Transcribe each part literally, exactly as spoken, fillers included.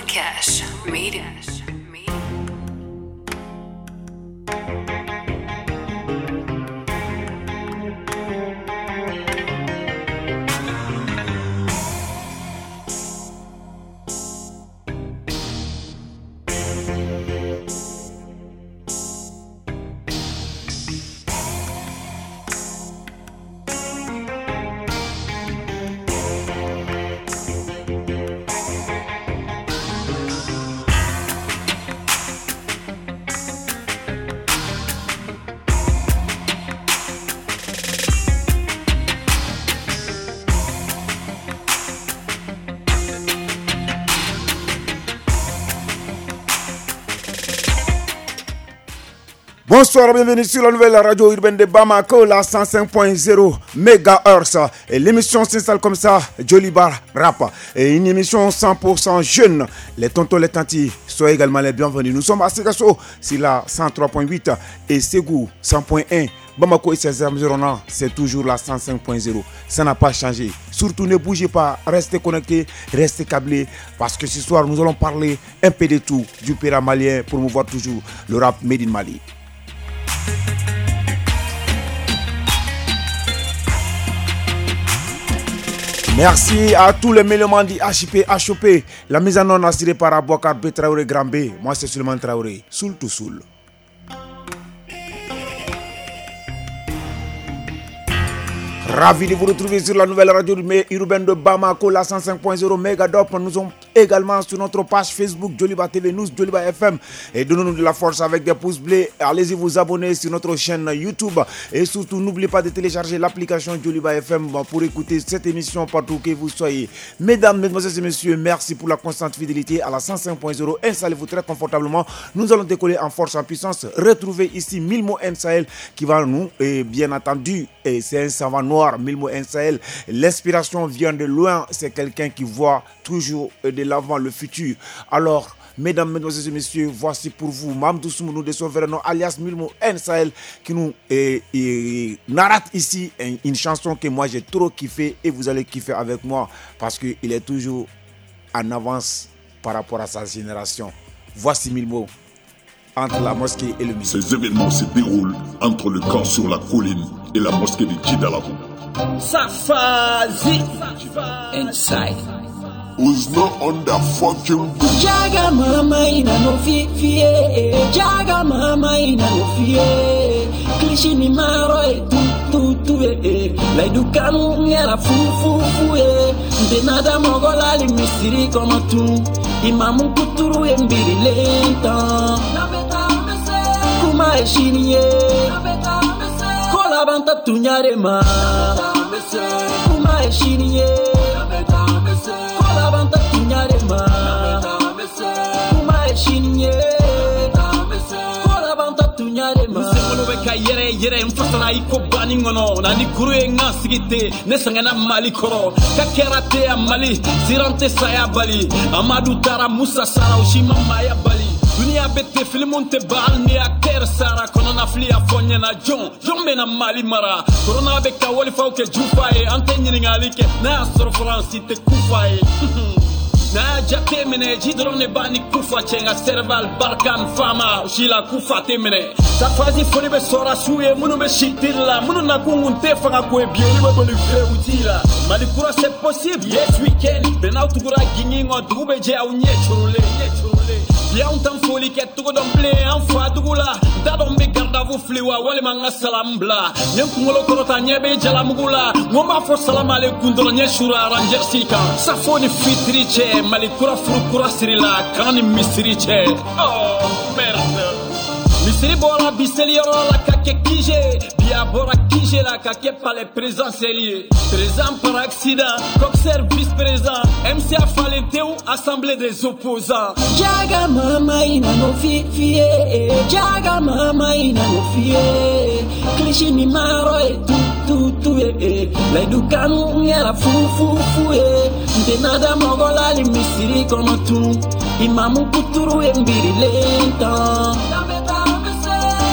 Cash Radio. Bonsoir, bienvenue sur la nouvelle radio urbaine de Bamako, la cent cinq point zéro mégahertz. Et l'émission s'installe comme ça, Joliba Rap. Et une émission cent pour cent jeune. Les tontons, les tantis, soyez également les bienvenus. Nous sommes à Sikasso, c'est la cent trois point huit et Ségou cent point un. Bamako et ses environnants, c'est toujours la cent cinq point zéro. Ça n'a pas changé. Surtout, ne bougez pas, restez connectés, restez câblés, parce que ce soir, nous allons parler un peu de tout, du père malien, pour promouvoir toujours le rap made in Mali. Merci à tous les mélomanes du H P H O P. La mise en onde assurée par Abouakar B. Traoré Grand B. Moi, c'est Souleymane Traoré. Soul to soul. Ravi de vous retrouver sur la nouvelle radio urbaine de Bamako, la cent cinq point zéro Megadop. Nous sommes également sur notre page Facebook Joliba T V News, Joliba F M. Et donnez-nous de la force avec des pouces bleus. Allez-y vous abonner sur notre chaîne YouTube. Et surtout, n'oubliez pas de télécharger l'application Joliba F M pour écouter cette émission partout que vous soyez. Mesdames, Mesdemoiselles et Messieurs, merci pour la constante fidélité à la cent cinq point zéro. Installez-vous très confortablement. Nous allons décoller en force, en puissance. Retrouvez ici Milmo M Sahel qui va nous, et bien entendu, et c'est un savant noir. Milmo M Sahel, l'inspiration vient de loin, c'est quelqu'un qui voit toujours de l'avant le futur. Alors, mesdames, mesdemoiselles et messieurs, voici pour vous Mamdou Soumounou de son vrai nom, alias Milmo M Sahel, qui nous eh, eh, narrate ici une chanson que moi j'ai trop kiffé et vous allez kiffer avec moi parce qu'il est toujours en avance par rapport à sa génération. Voici Milmo. Entre la mosquée et le musée. Ces événements se déroulent entre le camp sur la colline et la mosquée de Djidalabou. Safazi inside. Who's not on the fucking book? Jaga mama ina no fi fi Jaga mama ina no fi Klishi ni maro e tu tu tu e Laidu kanu ngera fu fu fu e Ndenada mogola li misiri kono tu Imamu kuturu e mbiri lenta Kuma e shini e Kola banta tunyare ma Kuma e shini e Kola banta tunyare ma Kuma e shini e Kola banta tunyare ma Ka yɛrɛ yɛrɛ n fasara i ko banni kɔnɔ na ni kuru ye n ka sigi ten ne sɛgɛnna mali kɔrɔ ka kɛra tɛ ya mali siran tɛ saya bali amadu taara musa sara o si ma maaya bali duniya bɛ ten filimu tɛ ban hali ni y'a kɛra sara kɔnɔnafili y'a fɔ n ɲɛna jɔn jɔn bɛna mali mara korona bɛ ka walifaw kɛ jufa ye an tɛ ɲininkali kɛ n'a y'a sɔrɔ faransi tɛ kufa ye n'a y'a jate minɛ ji dɔrɔn de b'a ni kufa cɛ nka serval barkan fama o si la kufa tɛ minɛ safazi foli bɛ sɔrɔ su ye minnu bɛ si tiri la minnu nakun kun tɛ fanga ko ye bi olu bɛ boli fɛwuti la mali kura c'est possible yes weekend bɛn n'aw tugura gingin kɔ dugu bɛ jɛ aw ɲɛ coronlen ɲɛ coronlen bi anw t'an foli kɛ togo dɔn bilen an fa dugu la n t'a dɔn n bɛ gardavu fili wa walima n ka salamu bila n ye n kunkolo kɔrɔta ɲɛ bɛ jalamugu la n ko n b'a fɔ salamu aleykum dɔrɔn ɲɛ sura ranjɛrisi kan safo ni fitiri cɛ mali kura furu kura siri la kan ni misiri cɛ oh merde misiri bɔra bi seliyɔrɔ la ka kɛ kije bi a bɔra kije la ka kɛ palais présidentiel ye président par accident coxer vice président M C A falen tew assemblée des opposants. Jaga mama ina no fi fi Jaga mama ina no fi Klishi ni maro e tu tu tu e Laidu kanu ngera fu fu fu e Ndenada mogola li misiri kono tu Imamu kuturu e mbiri lenta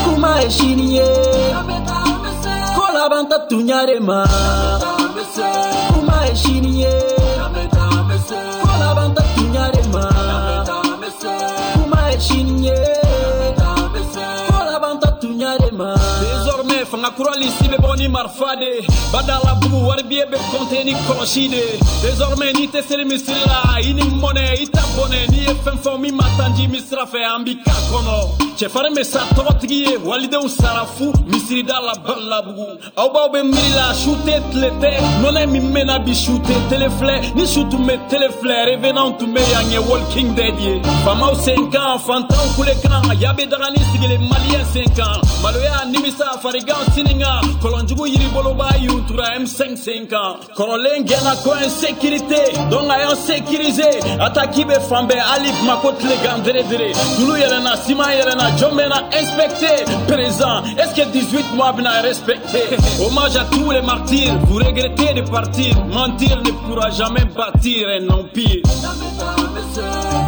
Kuma e shini e Kola banta tunyare ma Kuma e shini e Kola banta tunyare ma ye sini ye ko laban ta tunya de ma. Désormais fanga kurali si bɛ bɔ ni marifa de badala bugu wari biye bɛ compter ni kɔlɔsi de. Désormais n'i tɛ seli misiri la i ni mɔnɛ i ta bɔnɛ n'i ye fɛn fɔ min ma tanji min sira fɛ an b'i k'a kɔnɔ. Cɛfarin bɛ sa tɔgɔtigi ye walidenw sara fu misirida la balabugu aw b'aw bɛ miiri la su tɛ tile tɛ nɔnɔ min mɛnna bi su tɛ tele filɛ ni su tun bɛ tele filɛ revenant tun bɛ yan ye Walking Dead ye. Faamaw sen kan fantanw kule kan yabe dagani sigilen maliyɛn sen kan maloya nimisa farigan sininga kɔlɔnjugu yiribolo b'a yuntura M cinq sen kan kɔrɔlen gɛnna ko insécurité donc a y'an sécuriser attaque bɛ fan bɛɛ hali Bamako tilegan dere dere tulu yɛlɛnna siman yɛlɛnna jɔn bɛna inspecter présent est-ce que dix-huit mois bɛna respecter. Hommage à tous les martyrs, vous regrettez de partir, mentir ne pourra jamais bâtir un empire.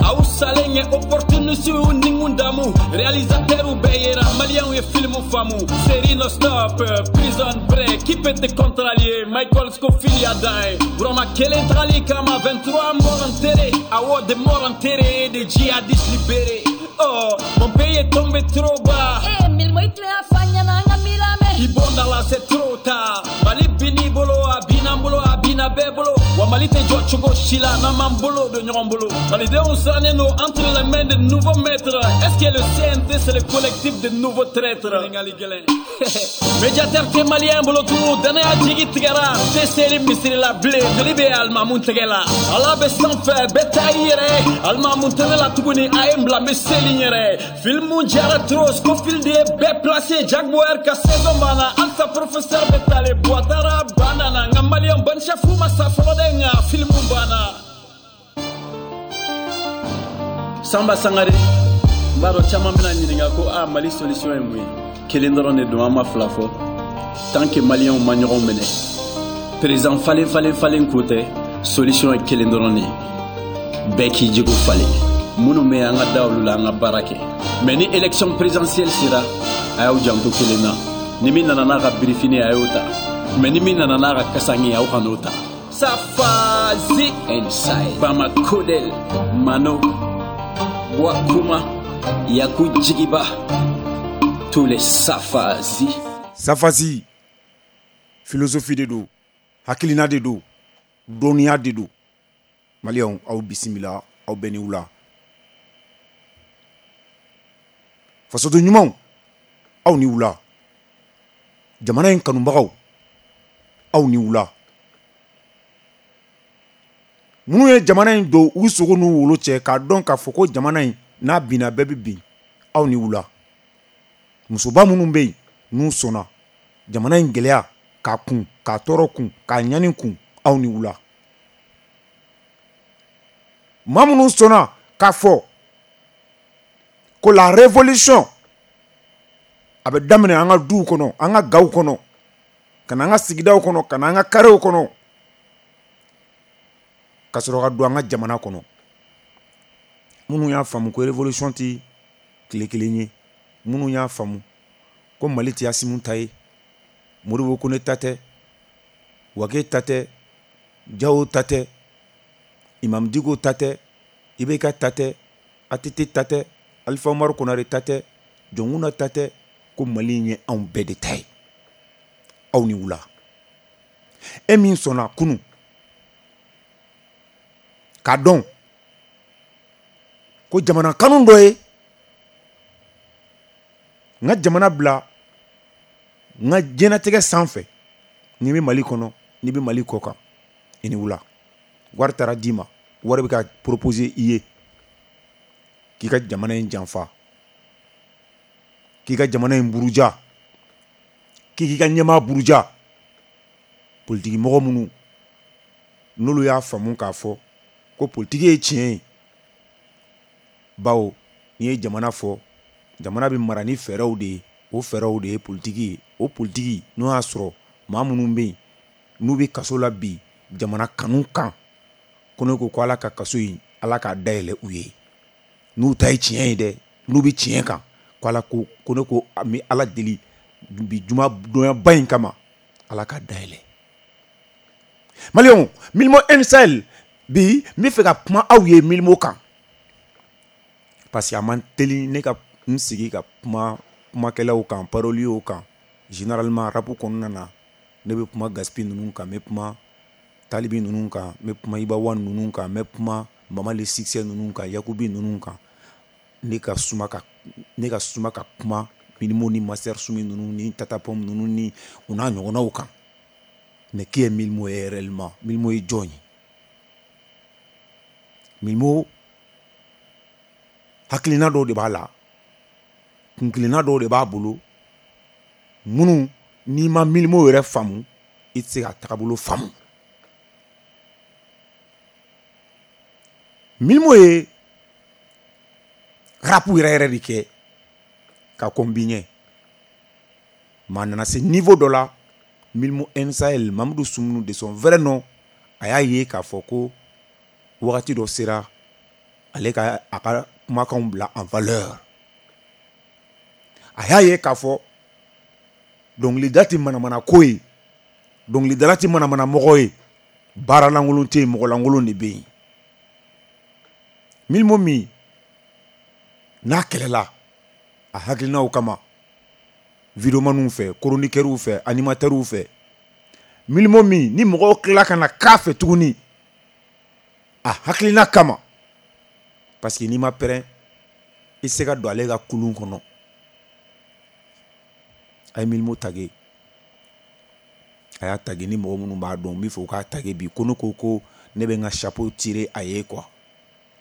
Aw salen ye opportuniste u ni mun damu réalisateur bɛɛ yera maliyɛnw ye film faamu série non stop prison break qui peut te contrarier Michael Scofield y'a dan ye Burama kelen tagali kama vingt-trois morts enterrés awɔ des morts enterrés des djihadistes libérés. Oh, mon pays est tombé trop bas. Eh, Mylmo i tile fa ɲɛna an ka mi lamɛn. I bɔnda la c'est trop tard. Mali bin'i bolo a bin'an bolo a binna bɛɛ bolo wa Mali tɛ jɔ cogo si la n'an m'an bolo don ɲɔgɔn bolo. Malidenw sirannen don entre les mains de nouveaux maîtres. Est-ce que le C N T c'est le collectif de nouveaux traîtres? Ɲininkali gɛlɛn. Médiateur tɛ maliyɛn bolo tugun danaya jigi tigɛra n tɛ seli misiri la bilen joli bɛ alimamu tɛgɛ la Ala bɛ sanfɛ bɛɛ ta i yɛrɛ alimamu tɛ ne la tuguni a ye n bila n bɛ seli n yɛrɛ. Filmu jara trop Scofield de ye bɛɛ placé Jack Bauer ka saison banna halisa professeur bɛ tale Buwatara banna nka maliyɛn ban chef ma sa fɔlɔ dɛ nka filmu banna. Samba Sangare n b'a dɔn caman bɛna ɲininka ko a Mali solution ye mun ye kelen dɔrɔn de don an ma fila fɔ tant que maliyɛnw ma ɲɔgɔn minɛ président falen falen falen ko tɛ solution ye kelen dɔrɔn de ye bɛɛ k'i jogo falen minnu bɛ yen an ka da olu la an ka baara kɛ mais ni élection présidentielle sera a y'aw janto kelen na ni min nana n'a ka birifini a y'o ta mais ni min nana n'a ka kasange aw kan'o ta. Safazi Inside Bamakodel Mano Wakuma Yaku Jigiba tous les Safazi. Safazi philosophie de don hakilina de don dɔnniya de don. Maliyɛnw aw bisimila aw bɛɛ ni wula fasoden ɲumanw aw ni wula jamana in kanubagaw aw ni wula minnu ye jamana in don u sogo n'u wolo cɛ k'a dɔn k'a fɔ ko jamana in n'a binna bɛɛ bɛ bin aw ni wula musoba minnu bɛ yen n'u sɔnna jamana in gɛlɛya k'a kun k'a tɔɔrɔ kun k'a ɲani kun aw ni wula maa minnu sɔnna k'a fɔ ko la révolution a bɛ daminɛ an ka duw kɔnɔ an ka gaw kɔnɔ ka na an ka sigidaw kɔnɔ ka na an ka karew kɔnɔ ka sɔrɔ ka don an ka jamana kɔnɔ minnu y'a faamu ko révolution tɛ tile kelen ye minnu y'a faamu ko Mali tɛ Asimu ta ye Modibo Kone ta tɛ Wage ta tɛ Jawo ta tɛ Imam Dicko ta tɛ I B K ta tɛ A T T ta tɛ Alpha Umaru Konare ta tɛ Jɔnkunda ta tɛ ko Mali in ye anw bɛɛ de ta ye aw ni wula e min sɔnna kunun k'a dɔn ko jamana kanu dɔ ye n ka jamana bila n ka diɲɛnatigɛ sanfɛ n'i bɛ Mali kɔnɔ n'i bɛ Mali kɔ kan i ni wula wari taara d'i ma wari bɛ ka proposer i ye k'i ka jamana in janfa k'i ka jamana in buruja k'i k'i ka ɲɛmaa buruja politiki mɔgɔ minnu n'olu y'a faamu k'a fɔ ko politiki ye tiɲɛ ye bawo n'i ye jamana fɔ jamana bɛ mara ni fɛɛrɛw de ye o fɛɛrɛw de ye politiki ye o politiki n'o y'a sɔrɔ maa minnu bɛ yen n'u bɛ kaso la bi jamana kanu kan ko ne ko ko Ala ka kaso in Ala k'a dayɛlɛ u ye n'u ta ye tiɲɛ ye dɛ n'u bɛ tiɲɛ kan ko Ala ko ko ne ko an bɛ Ala deli bi juma donyaba in kama Ala k'a dayɛlɛ. Maliyɛnw Mylmo N Sahel bi n bɛ fɛ ka kuma aw ye Mylmo kan. Parce que a man teli ne ka n sigi ka kuma kumakɛlaw kan, paroliers kan. Généralement rap kɔnɔna na, ne bɛ kuma Gaspi ninnu kan, n bɛ kuma Talibi ninnu kan, n bɛ kuma Iba One ninnu kan, n bɛ kuma Mama Le Succès ninnu kan, Yakubi ninnu kan. Ne ka suma ka ne ka suma ka kuma Mylmo ni Master Soumy ninnu ni Tata Pound ninnu ni u n'a ɲɔgɔnnaw kan. Mais qui est Mylmo réellement? Mylmo ye jɔn ye? Mylmo hakilina dɔw de b'a la, kunkilenna dɔw de b'a bolo, minnu n'i ma Mylmo yɛrɛ faamu, i tɛ se ka tagabolo faamu. Mylmo ye rap yɛrɛ yɛrɛ de kɛ ka kɔn bi ɲɛ. Maa nana se niveau dɔ la, Mylmo N Sahel, Mamadou Soumounou de son vrai nom, a y'a ye k'a fɔ ko wagati dɔ sera ale ka a ka kumakanw bila en valeur. A y'a ye k'a fɔ dɔnkilida tɛ manamana ko ye, dɔnkilidala tɛ manamana mɔgɔ ye, baara lankolon tɛ yen, mɔgɔ lankolon de bɛ yen. Mylmo min n'a kɛlɛla a hakilinaw kama videomaniw fɛ, chroniqueurs fɛ, animateurs fɛ, Mylmo min ni mɔgɔw tila ka na k'a fɛ tuguni a hakilina kama, parce que n'i ma pɛrɛn i tɛ se ka don ale ka kulun kɔnɔ. A ye Mylmo tage, a y'a tage ni mɔgɔ minnu b'a dɔn, n b'a fɛ u k'a tage bi. Ko ne ko ko ne bɛ n ka chapeau tirer a ye quoi.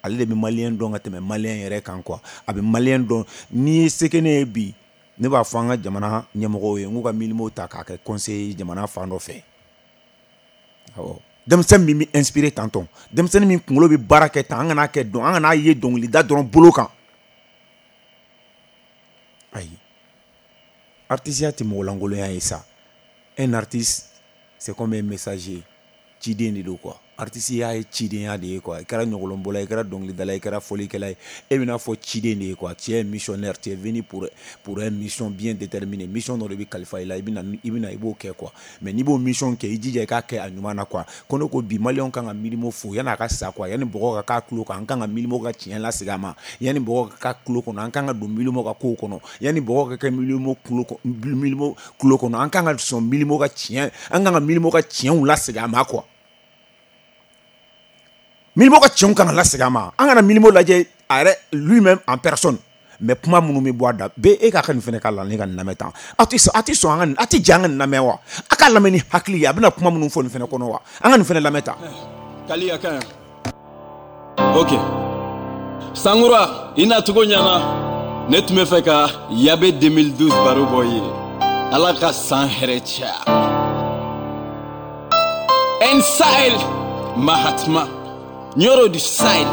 Ale de bɛ malien dɔn ka tɛmɛ malien yɛrɛ kan quoi. A bɛ malien dɔn. N'i ye se kɛ ne ye bi, ne b'a fɔ an ka jamana ɲɛmɔgɔw ye n k'u ka Mylmo ta k'a kɛ conseiller jamana fan dɔ fɛ. Awɔ, denmisɛnnin min bɛ inspiré tantɔn, denmisɛnnin min kunkolo bɛ baara kɛ tan, an kana kɛ dɔn, an kana ye dɔnkilida dɔrɔn bolo kan. Ayi, artisiya tɛ mɔgɔlankolonya ye sa. Un artiste, c'est comme un messager, ciden de don quoi. Artiste y'a ye cidenya de ye quoi. I kɛra ɲɔgɔlɔnbɔla ye, i kɛra dɔnkilidala ye, i kɛra fɔlikɛla ye, e bɛna fɔ ciden de ye quoi. Tu es missionnaire, tu es venu pour pour une mission bien déterminée. Mission dɔ de bɛ kalifa i la, i bɛna i bɛna i b'o kɛ quoi. Mais n'i b'o mission kɛ, i jija i k'a kɛ a ɲuman na quoi. Ko ne ko bi maliyɛnw kan ka Mylmo fo yan'a ka sa quoi, yanni bɔgɔ ka k'a tulo kan, an kan ka Mylmo ka tiɲɛ lasegin a ma, yanni bɔgɔ ka k'a tulo kɔnɔ, an kan ka don Mylmo ka kow kɔnɔ, yanni bɔgɔ ka kɛ Mylmo tulo Mylmo tulo kɔnɔ, an kan ka sɔn Mylmo ka tiɲɛ, an kan ka Mylmo ka tiɲɛw lasegin a ma quoi. Mylmo ka tiɲɛw kan ka lasegin a ma. An kana Mylmo lajɛ a yɛrɛ lui-même en personne, mais kuma minnu bɛ bɔ a da bɛɛ, e k'a ka nin fɛnɛ k'a la, ne ka nin lamɛn tan. Aw tɛ sɔn, aw tɛ sɔn an ka nin, aw tɛ jɛ an ka nin lamɛn wa? A k'a lamɛn ni hakili ye, a bɛna kuma minnu fɔ nin fɛnɛ kɔnɔ wa? An ka nin fɛnɛ lamɛn tan. Kali a ka ɲi. Ok. Sangura, i nacogo ɲɛna. Ne tun bɛ fɛ ka Yabe deux mille douze baro bɔ i ye. Ala ka san hɛrɛ caya. N Sahel, Mahatma, Nyoro du Sahel.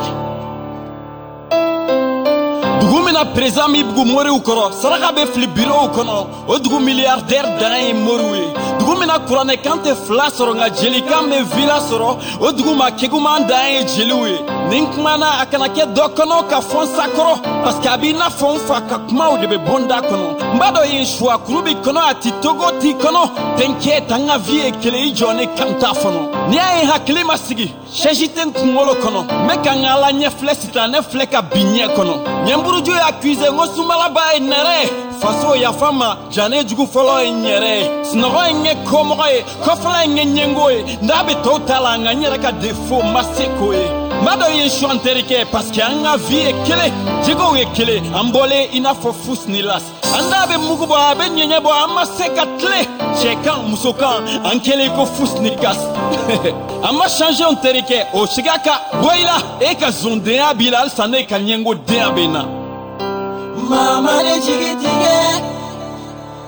Dugu min na président min bugu moriw kɔrɔ, saraka bɛ fili bureau kɔnɔ, o dugu milliardaire dan ye moriw ye. Dugu min na kuranɛkan tɛ fila sɔrɔ, nka jelikan bɛ villa sɔrɔ, o dugu ma keguman dan ye jeliw ye. Ni n kumana a kana kɛ dɔ kɔnɔ ka fɔ n sa kɔrɔ, parce que a b'i n'a fɔ n fa ka kumaw de bɛ bɔ n da kɔnɔ. N b'a dɔn yen suwa kuru b'i kɔnɔ, a ti togo t'i kɔnɔ. T'inquiète, an ka vie ye kelen, i jɔ ne kan t'a fɔlɔ. N'i y'a ye hakili ma sigi, chaise tɛ n kunkolo kɔnɔ. N bɛ ka n ka Ala ɲɛ filɛ sitanɛ filɛ ka bin ɲɛ kɔnɔ. Ɲɛnburuju y'a accusé n ko sunbalaba ye nɛrɛ ye. Faso yafa ma, jane jugu fɔlɔ ye n yɛrɛ ye. Sunɔgɔ ye n kɛ komɔgɔ ye, kɔfɛla ye n kɛ ɲɛngo ye. N'a bɛ tɔw ta la, nka n yɛrɛ ka défaut ma se k'o ye. N b'a dɔn i ye su an terikɛ, parce que an ka vie ye kelen, jɛgɛw ye kelen, an bɔlen i n'a fɔ fus ni las. An da bɛ mugu bɔ, a bɛ ɲɛɲɛ bɔ, an ma se ka tile. Cɛ kan, muso kan, an kɛlen ko fus ni gas. An ma changer n terikɛ, o siga ka bɔ i la. E ka zondenya b'i la, halisa ne ka ɲɛngodenya bɛ n na. Mama ne jigi tigɛ,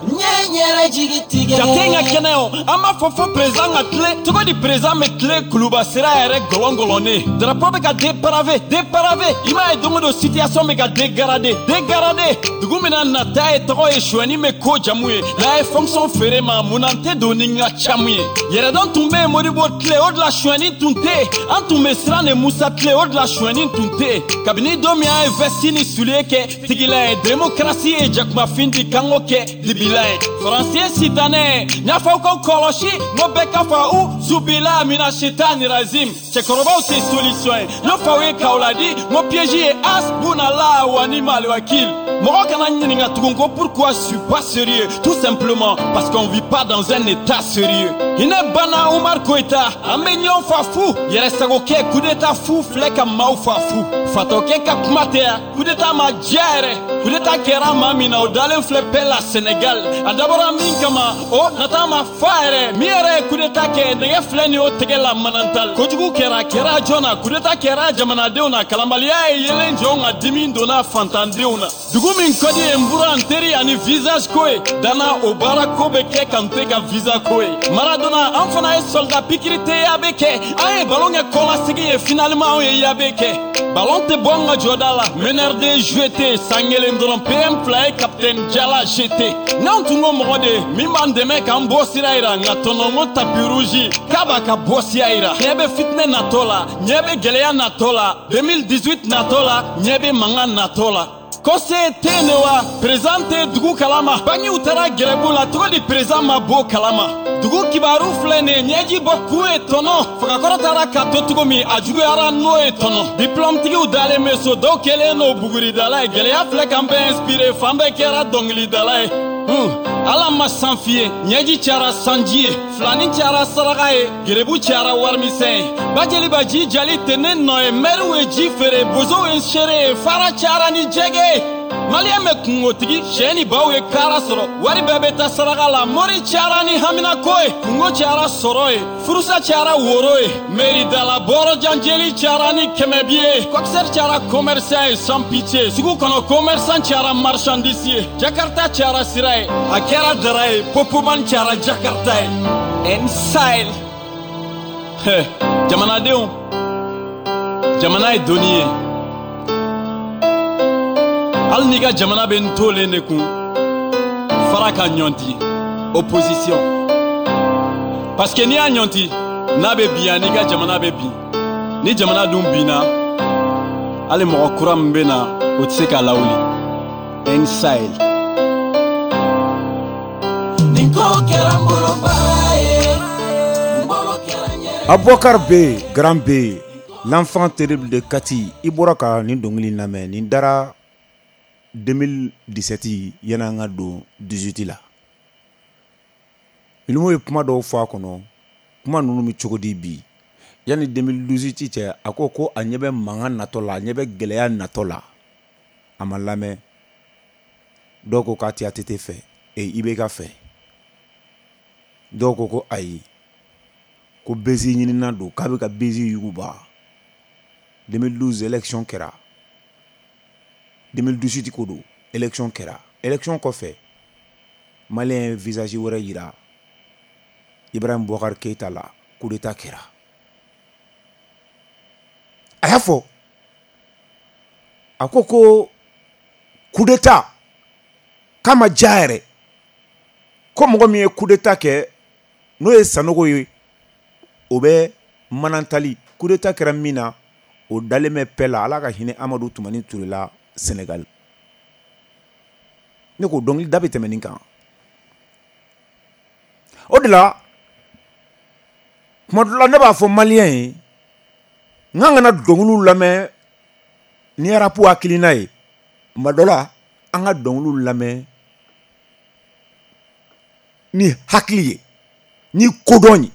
n ye n yɛrɛ jigi tigɛ. Jate n ka kɛnɛ o, an b'a fɔ fo président ka tile. Cogo di président bɛ tile kuluba sira yɛrɛ gɔlɔngɔlɔnnen. Drapeau bɛ ka dépravé, dépravé. I m'a ye don o don situation bɛ ka dégradé, dégradé. Dugu min na nata ye tɔgɔ ye, sonyɛni bɛ ko jamu ye. N'a ye fonction feere ma, mun na n tɛ don ni n ka camu ye. Yɛrɛdɔn tun bɛ yen Modibo tile, o de la sonyɛni tun tɛ yen. An tun bɛ siran de Musa tile, o de la sonyɛni tun tɛ yen. Kabini don min an ye veste ni soulier kɛ tigila ye, démocratie ye jakumafin di kanko kɛ dibila ye. Faransi ye sitanɛ ye, n y'a fɔ aw k'aw kɔlɔsi, n ko bɛɛ ka fa u Zubila mina shetani razim. Cɛkɔrɔbaw tɛ solution ye. N'o faw ye k'aw ladi, n ko piège ye asbunala wa ni mal wakil. Mɔgɔ kana ɲininka tugun ko pourquoi je suis pas sérieux. Tout simplement parce qu'on vit pas dans un état sérieux. Hinɛ banna Umar Koyita, an bɛ ɲɔgɔn fa fu. Yɛrɛsagokɛ coup d'état fu filɛ ka maaw fa fu. Fatɔkɛ ka kuma tɛ yan, coup d'état ma diya yɛrɛ. Coup d'état kɛra maa min na, o dalen filɛ bɛɛ la Sénégal. A dabɔra min kama, o nata ma fa yɛrɛ. Min yɛrɛ ye coup d'état kɛ, nɛgɛ filɛ nin y'o tɛgɛ la manantal. Kojugu kɛra, kɛra jɔn na, coup d'état kɛra jamanadenw na. Kalanbaliya ye yelen jɔnw ka dimi donna fantandenw na. Dugu min ka di ye n bura n teri ani visage ko ye. Dana o baara ko bɛ kɛ ka n tɛ ka visa ko ye. Maradona an fana ye soldat pikiri tɛ yabe kɛ. An ye ballon kɛ kɔlasegi ye finalement anw ye yabe kɛ. Ballon tɛ bɔ an ka jɔda la. Meneur de jeu tɛ san kelen dɔrɔn P M fila ye capitaine Jala G T. N'anw tun ko mɔgɔ de min b'an dɛmɛ k'an bɔ sira yira, nka tɔnɔ ko tapis rouge k'a b'a ka bɔ sira yira. Ɲɛ bɛ fitinɛ natɔ la, ɲɛ bɛ gɛlɛya natɔ la, deux mille dix-huit natɔ la, ɲɛ bɛ mankan natɔ la. Conseil tɛ ne wa président tɛ dugu kalama. Bangiw taara gɛrɛbu la cogo di président ma bɔ kalama. Dugu kibaru filɛ nin ye ɲɛji bɔ kun ye tɔnɔ. Fagakɔrɔ taara ka to cogo min a juguyara n'o ye tɔnɔ. Diplôme tigiw dalen bɛ so dɔw kɛlen n'o buguridala ye. Gɛlɛya filɛ k'an bɛɛ inspiré fan bɛɛ kɛra dɔnkilidala ye. Hmm. Ala ma san f'i ye ɲɛji cayara sanji ye filani cayara saraka ye gerebu cayara warimisɛn ye bajeliba ji jali tɛ ne nɔ ye mɛriw ye ji feere bozow ye seere ye fara cayara ni jɛgɛ ye maliyɛn bɛ kungotigi sɛ ni baw ye kara sɔrɔ wari bɛɛ bɛ taa saraka la mori cayara ni haminako ye kungo cayara sɔrɔ ye furusa cayara woro ye meridala bɔrɔjan jeli cayara ni kɛmɛ bi ye kɔkisɛri cayara commerçant ye sans pitié sugu kɔnɔ commerçant cayara marchandise ye jakarta cayara sira ye a kɛra dara ye popoman cayara jakarta ye n-sahel. Jamanadenw, jamana ye doni ye. Hali n'i ka jamana bɛ n tolen de kun fara ka ɲɔnti opposition parce que n'i y'a ɲɔnti n'a bɛ bin yan n'i ka jamana bɛ bin ni jamana dun binna hali mɔgɔ kura min bɛ na o tɛ se k'a lawuli. N-sahel. Nin ko kɛra n bolo baara ye, n bolo kɛra n yɛrɛ. Aboubacar B, Grand B, l'enfant terrible de Kati, i bɔra ka nin dɔnkili lamɛn nin dara deux mille dix-sept yan'an ka don dix-huit la. Milimo ye kuma dɔw fɔ a kɔnɔ, kuma ninnu bɛ cogo di bi yanni deux mille dix-huit cɛ a ko ko a ɲɛ bɛ mankan natɔ la, a ɲɛ bɛ gɛlɛya natɔ la, a ma lamɛn. Dɔw ko k'a tɛ A T T fɛ, e I B K fɛ. Dɔw ko ko ayi, ko bezi ɲinina don, k'a bɛ ka bezi yuguba. deux mille douze élection kɛra. deux mille dix-huit ko don, élection kɛra. Élection kɔfɛ, Malien ye visage wɛrɛ yira Ibrahim Boubacar Keïta la, coup d'état kɛra. A y'a fɔ, a ko ko coup d'état k'a ma diya yɛrɛ, ko mɔgɔ min ye coup d'état kɛ n'o ye Sanogo ye, o bɛ manantali. Coup d'état kɛra min na, o dalen bɛ paix la. Ala ka hinɛ Amadu Tumani Ture la Sénégal. Ne ko dɔnkili da bɛ tɛmɛ nin kan. O de la tuma dɔ la ne b'a fɔ maliyɛn ye n k'an kana dɔnkiliw lamɛn ni arapu hakilina ye. Tuma dɔ la an ka dɔnkiliw lamɛn ni hakili ye, ni kodɔn ye.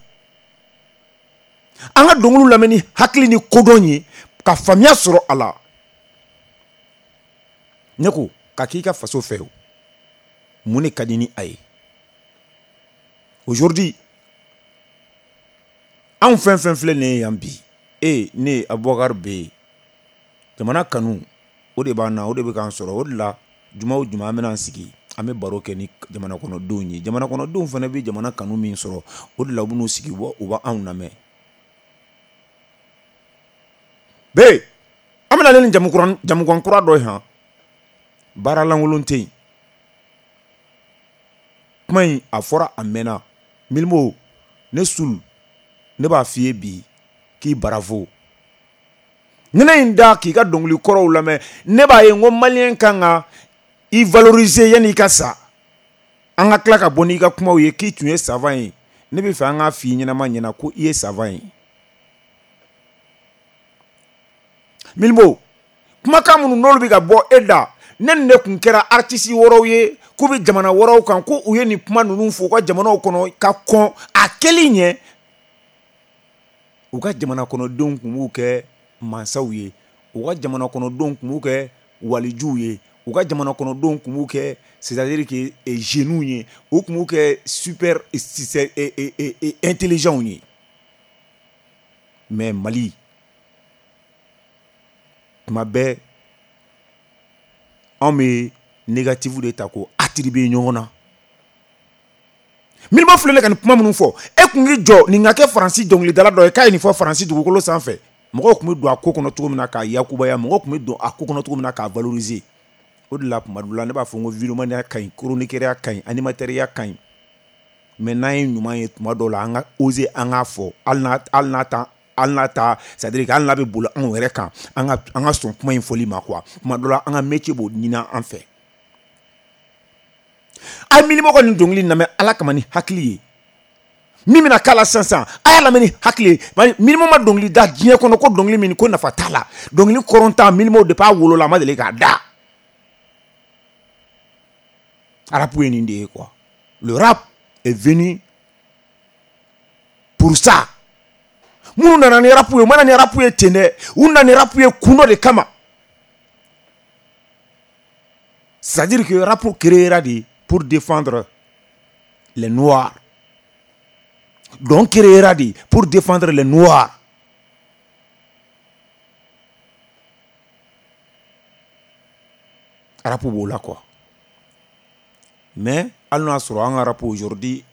An ka dɔnkiliw lamɛn ni hakili ni kodɔn ye ka faamuya sɔrɔ a la. Ne ko ka k'i ka faso fɛ o, mun de ka di ni a ye? Aujourd'hui, anw fɛn fɛn filɛ nin ye yan bi, e ne Aboubacar B, jamana kanu o de b'an na, o de bɛ k'an sɔrɔ. O de la juma o juma an bɛna an sigi, an bɛ baro kɛ ni jamana kɔnɔdenw ye. Jamana kɔnɔdenw fana bɛ jamana kanu min sɔrɔ, o de la u bɛn'u sigi u b'anw lamɛn. B, an bɛna ni jamukan kura dɔ ye han. Baara lankolon tɛ yen. Kuma in a fɔra a mɛnna. Milimo, ne Sul, ne b'a f'i ye bi k'i bravo. Ni ne in da k'i ka dɔnkili kɔrɔw lamɛn, ne b'a ye n ko maliyɛn kan ka i valoriser yanni i ka sa. An ka tila ka bɔ n'i ka kumaw ye k'i tun ye savant ye. Ne bɛ fɛ an k'a f'i ɲɛnama ɲɛna ko i ye savant ye. Mylmo, kumakan minnu n'olu bɛ ka bɔ e da, ne ni ne kun kɛra artiste wɛrɛw ye k'u bɛ jamana wɛrɛw kan, ko u ye nin kuma ninnu fɔ u ka jamanaw kɔnɔ ka kɔn a kɛli ɲɛ, u ka jamana kɔnɔdenw tun b'u kɛ mansaw ye, u ka jamana kɔnɔdenw tun b'u kɛ walijuw ye, u ka jamana kɔnɔdenw tun b'u kɛ, c'est-à-dire que jeunes ye, u tun b'u kɛ super intelligents ye. Mais Mali, tuma bɛɛ anw bɛ négatif de ta k'o attribuer ɲɔgɔn na. Mylmo filɛ ne ka nin kuma minnu fɔ, e kun k'i jɔ nin ka kɛ Faransi dɔnkilidala dɔ ye k'a ye nin fɔ Faransi dugukolo sanfɛ, mɔgɔw tun bɛ don a ko kɔnɔ cogo min na k'a yakubaya, mɔgɔw tun bɛ don a ko kɔnɔ cogo min na k'a valoriser. O de la tuma dɔ la ne b'a fɔ n ko vidéomania ka ɲi, chroniqueur ka ɲi, animateur ka ɲi, mais n'an ye ɲuman ye tuma dɔw la an ka oser an k'a fɔ, hali n'a hali n'a ta hali n'a ta, c'est-à-dire que hali n'a bɛ boli anw yɛrɛ kan, an ka an ka sɔn kuma in fɔli ma quoi. Tuma dɔ la an ka métier b'o ɲini an fɛ. A ye Mylmo ka nin dɔnkili lamɛn Ala kama ni hakili ye. Min bɛna k'a la sisan sisan, a y'a lamɛn ni hakili ye. Mylmo ma dɔnkili da diɲɛ kɔnɔ ko dɔnkili min ko nafa t'a la. Dɔnkili kɔrɔntan Mylmo depuis a wolola a ma deli k'a da. Rap ye nin de ye quoi. Le rap est venu pour ça. Minnu nana ni rap ye, u ma na ni rap ye ten dɛ, u nana ni rap ye kun dɔ de kama. C'est-à-dire que rap créera de pour défendre les noirs. Donc créera de pour défendre les noirs. Rap b'o la quoi. Mais hali n'o y'a sɔrɔ an ka rap aujourd'hui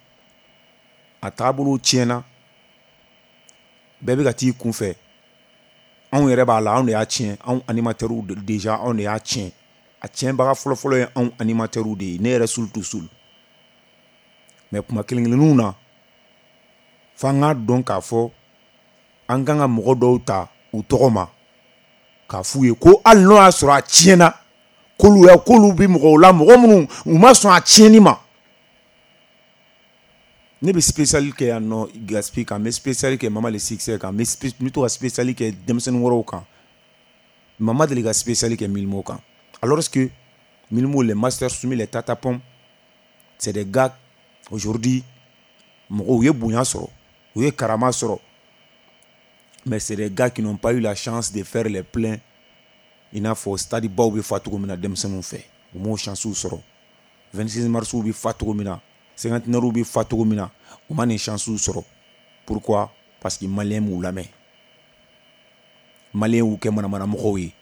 a taabolo tiɲɛna, bɛɛ bɛ ka t'i kunfɛ. Anw yɛrɛ b'a la, anw de y'a tiɲɛ, anw animateurs déjà anw de y'a tiɲɛ. A tiɲɛbaga fɔlɔfɔlɔ ye anw animateurs de ye, ne yɛrɛ sul to sul. Mais kuma kelen kelenninw na, f'an k'a dɔn k'a fɔ an kan ka mɔgɔ dɔw ta u tɔgɔ ma k'a f'u ye ko hali n'o y'a sɔrɔ a tiɲɛna, k'olu ya k'olu bɛ mɔgɔw la, mɔgɔ minnu u ma sɔn a tiɲɛni ma. Ne bɛ spécial kɛ yan nɔ Gaspi kan, n bɛ spécial kɛ Mama le Succès kan, n bɛ to ka spécial kɛ denmisɛnnin wɛrɛw kan. Mama deli ka spécial kɛ Mylmo kan. Alors que Mylmo, les Masters Soumis, les Tata Pom, c'est des gars aujourd'hui mɔgɔw ye bonya sɔrɔ, u ye karama sɔrɔ, mais c'est des gars qui n'ont pas eu la chance de faire les pleins i n'a fɔ stade baw bɛ fa cogo min na denmisɛnninw fɛ, u m'o chance sɔrɔ. vingt-six mars bɛ fa cogo min na, cinquantenaire bɛ fa cogo min na, u ma nin chance sɔrɔ. Pourquoi? Parce que malien m'u lamɛn, malien y'u kɛ manamana mɔgɔw ye.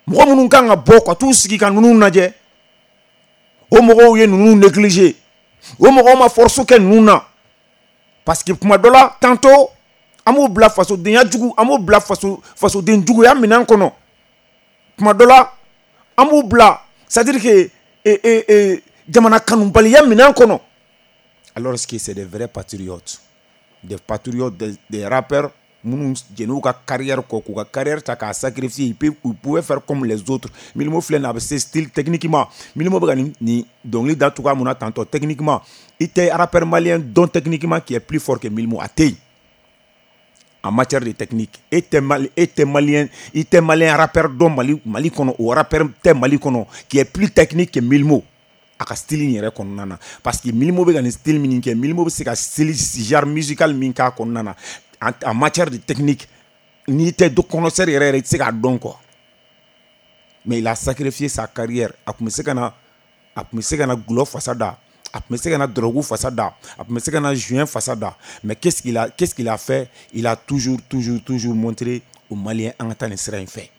Mɔgɔ minnu kan ka bɔ ka t'u sigi ka ninnu lajɛ, o mɔgɔw ye ninnu négliger, o mɔgɔw ma force kɛ ninnu na. Parce que kuma dɔ la tantôt an b'u bila fasodenya jugu, an b'u bila faso fasoden juguya minɛn kɔnɔ. Kuma dɔ la an b'u bila, c'est-à-dire que e, e, e, jamana kanubaliya minɛn kɔnɔ. Alors que c'est des vrais patriotes, des patriotes, des, des rappeurs minnu jɛn'u ka carrière kɔ, k'u ka carrière ta k'a sacrifier. Ils peuvent, ils pouvaient faire comme les autres. Mylmo filɛ nin ye, a bɛ se style techniquement. Mylmo bɛ ka nin nin dɔnkili da cogoya mun na tantôt techniquement, i tɛ rappeur malien dɔn techniquement qui est plus fort que Mylmo, a tɛ yen en matière de technique. E tɛ Mali, e tɛ malien, i tɛ malien rappeur dɔn Mali Mali kɔnɔ, o rappeur tɛ Mali kɔnɔ qui est plus technique que Mylmo a ka style in yɛrɛ kɔnɔna na. Parce que Mylmo bɛ ka nin style min kɛ, Mylmo bɛ se ka style genre musical min k'a kɔnɔna na en, en matière de technique, n'i tɛ connaisseur yɛrɛ yɛrɛ i tɛ se k'a dɔn quoi. Mais il a sacrifié sa carrière. A tun bɛ se ka na, a tun bɛ se ka na gulɔ fasa da, a tun bɛ se ka na drogue fasa da, a tun bɛ se ka na joint fasa da. Mais qu'est-ce qu'il a, qu'est-ce qu'il a fait? Il a toujours toujours toujours montré aux Maliens an ka taa nin sira in fɛ,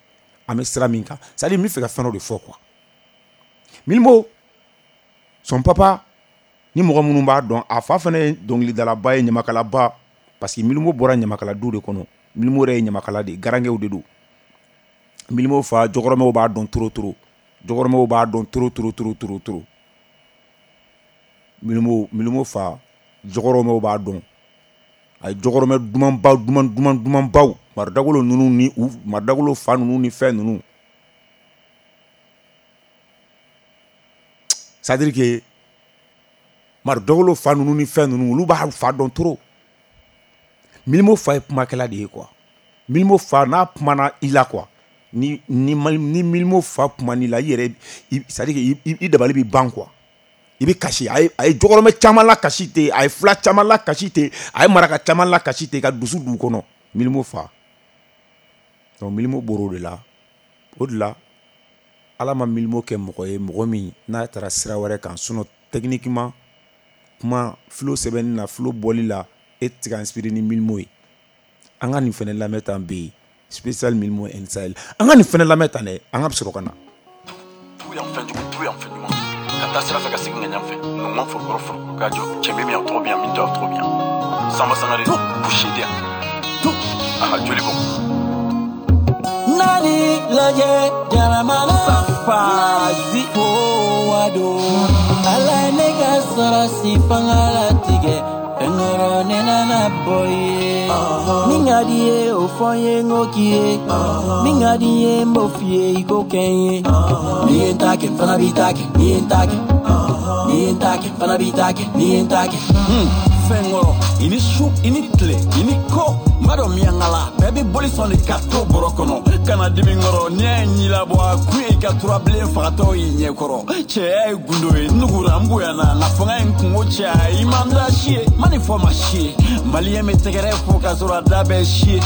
an bɛ sira min kan. C'est-à-dire n bɛ fɛ ka fɛn dɔ de fɔ quoi. Mylmo, son papa, ni mɔgɔ minnu b'a dɔn, a fa fana ye dɔnkilidalaba ye, ɲamakalaba. Parce que Mylmo bɔra ɲamakala du de kɔnɔ. Mylmo yɛrɛ ye ɲamakala de ye, garankɛw de don. Mylmo fa jɔkɔrɔmɛw b'a dɔn trop trop, jɔkɔrɔmɛw b'a dɔn trop trop trop trop trop. Mylmo Mylmo fa jɔkɔrɔmɛw b'a dɔn. A ye jɔkɔrɔmɛ dumanba duman duman dumanbaw, maridagolo ninnu ni u maridagolo fa ninnu ni fɛn ninnu. C'est-à-dire que Mari dɔgɔlo fa ninnu ni fɛn ninnu olu b'a fa dɔn trop. Milimo fa ye kumakɛla de ye quoi. Milimo fa n'a kumana i la quoi. Ni ni ni Milimo fa kuman'i la i yɛrɛ, c'est à dire que i dabali bɛ ban quoi. I bɛ kasi. A ye a ye jɔkɔrɔmɛ caman la kasi ten, a ye fila caman la kasi ten, a ye maraka caman la kasi ten ka dusu d'u kɔnɔ. Milimo fa. Donc Milimo bɔr'o de la. O de la Ala ma Milimo kɛ mɔgɔ ye mɔgɔ min n'a taara sira wɛrɛ kan. Sinon techniquement kuma flow sɛbɛnni na, flow bɔli la, e tɛ se ka inspiré ni Milimo ye. An ka nin fɛnɛ lamɛn tan bɛ yen spécial Milimo N Sahel. An ka nin fɛnɛ lamɛn tan dɛ, an ka sɔrɔ ka na. Tout yan fɛn jugu, tout yan fɛn ɲuman. Ka taa sira fɛ ka segin ka ɲan fɛ. Nungan forokɔrɔ forokɔrɔ ka jɔ. Cɛ bɛ min tɔgɔ bɛ yan, min tɔgɔ tɔgɔ bɛ yan. Sanba Sangare, Boucher de yan. Aha, joli bɔ. Nani lajɛ jaramana Fazi fo wado. Ala ye ne ka sɔrɔsi fanga latigɛ. Fɛnkɔrɔ ne nana bɔ ye. Min ka di ye o fɔ n ye n ko k'i ye. Min ka di n ye n b'o f'i ye i k'o kɛ n ye. N'i ye n ta kɛ n fana b'i ta kɛ. N'i ye n ta kɛ. N'i ye n ta kɛ n fana b'i ta kɛ. N'i ye n ta kɛ. Fɛnkɔrɔ i ni su i ni tile i ni ko n b'a dɔn miyankala bɛɛ bɛ boli sɔn de ka to bɔrɔ kɔnɔ kana dimi kɔrɔ n'i y'a ye ɲilabɔ a kun ye i ka turabilen fagatɔ y'i ɲɛkɔrɔ cɛya ye gundo ye nugura n bonyana nka fanga ye n kungo caya i man da si ye ma nin fɔ ma si ye maliyɛn bɛ tɛgɛrɛ fɔ k'a sɔrɔ a da bɛ si ye.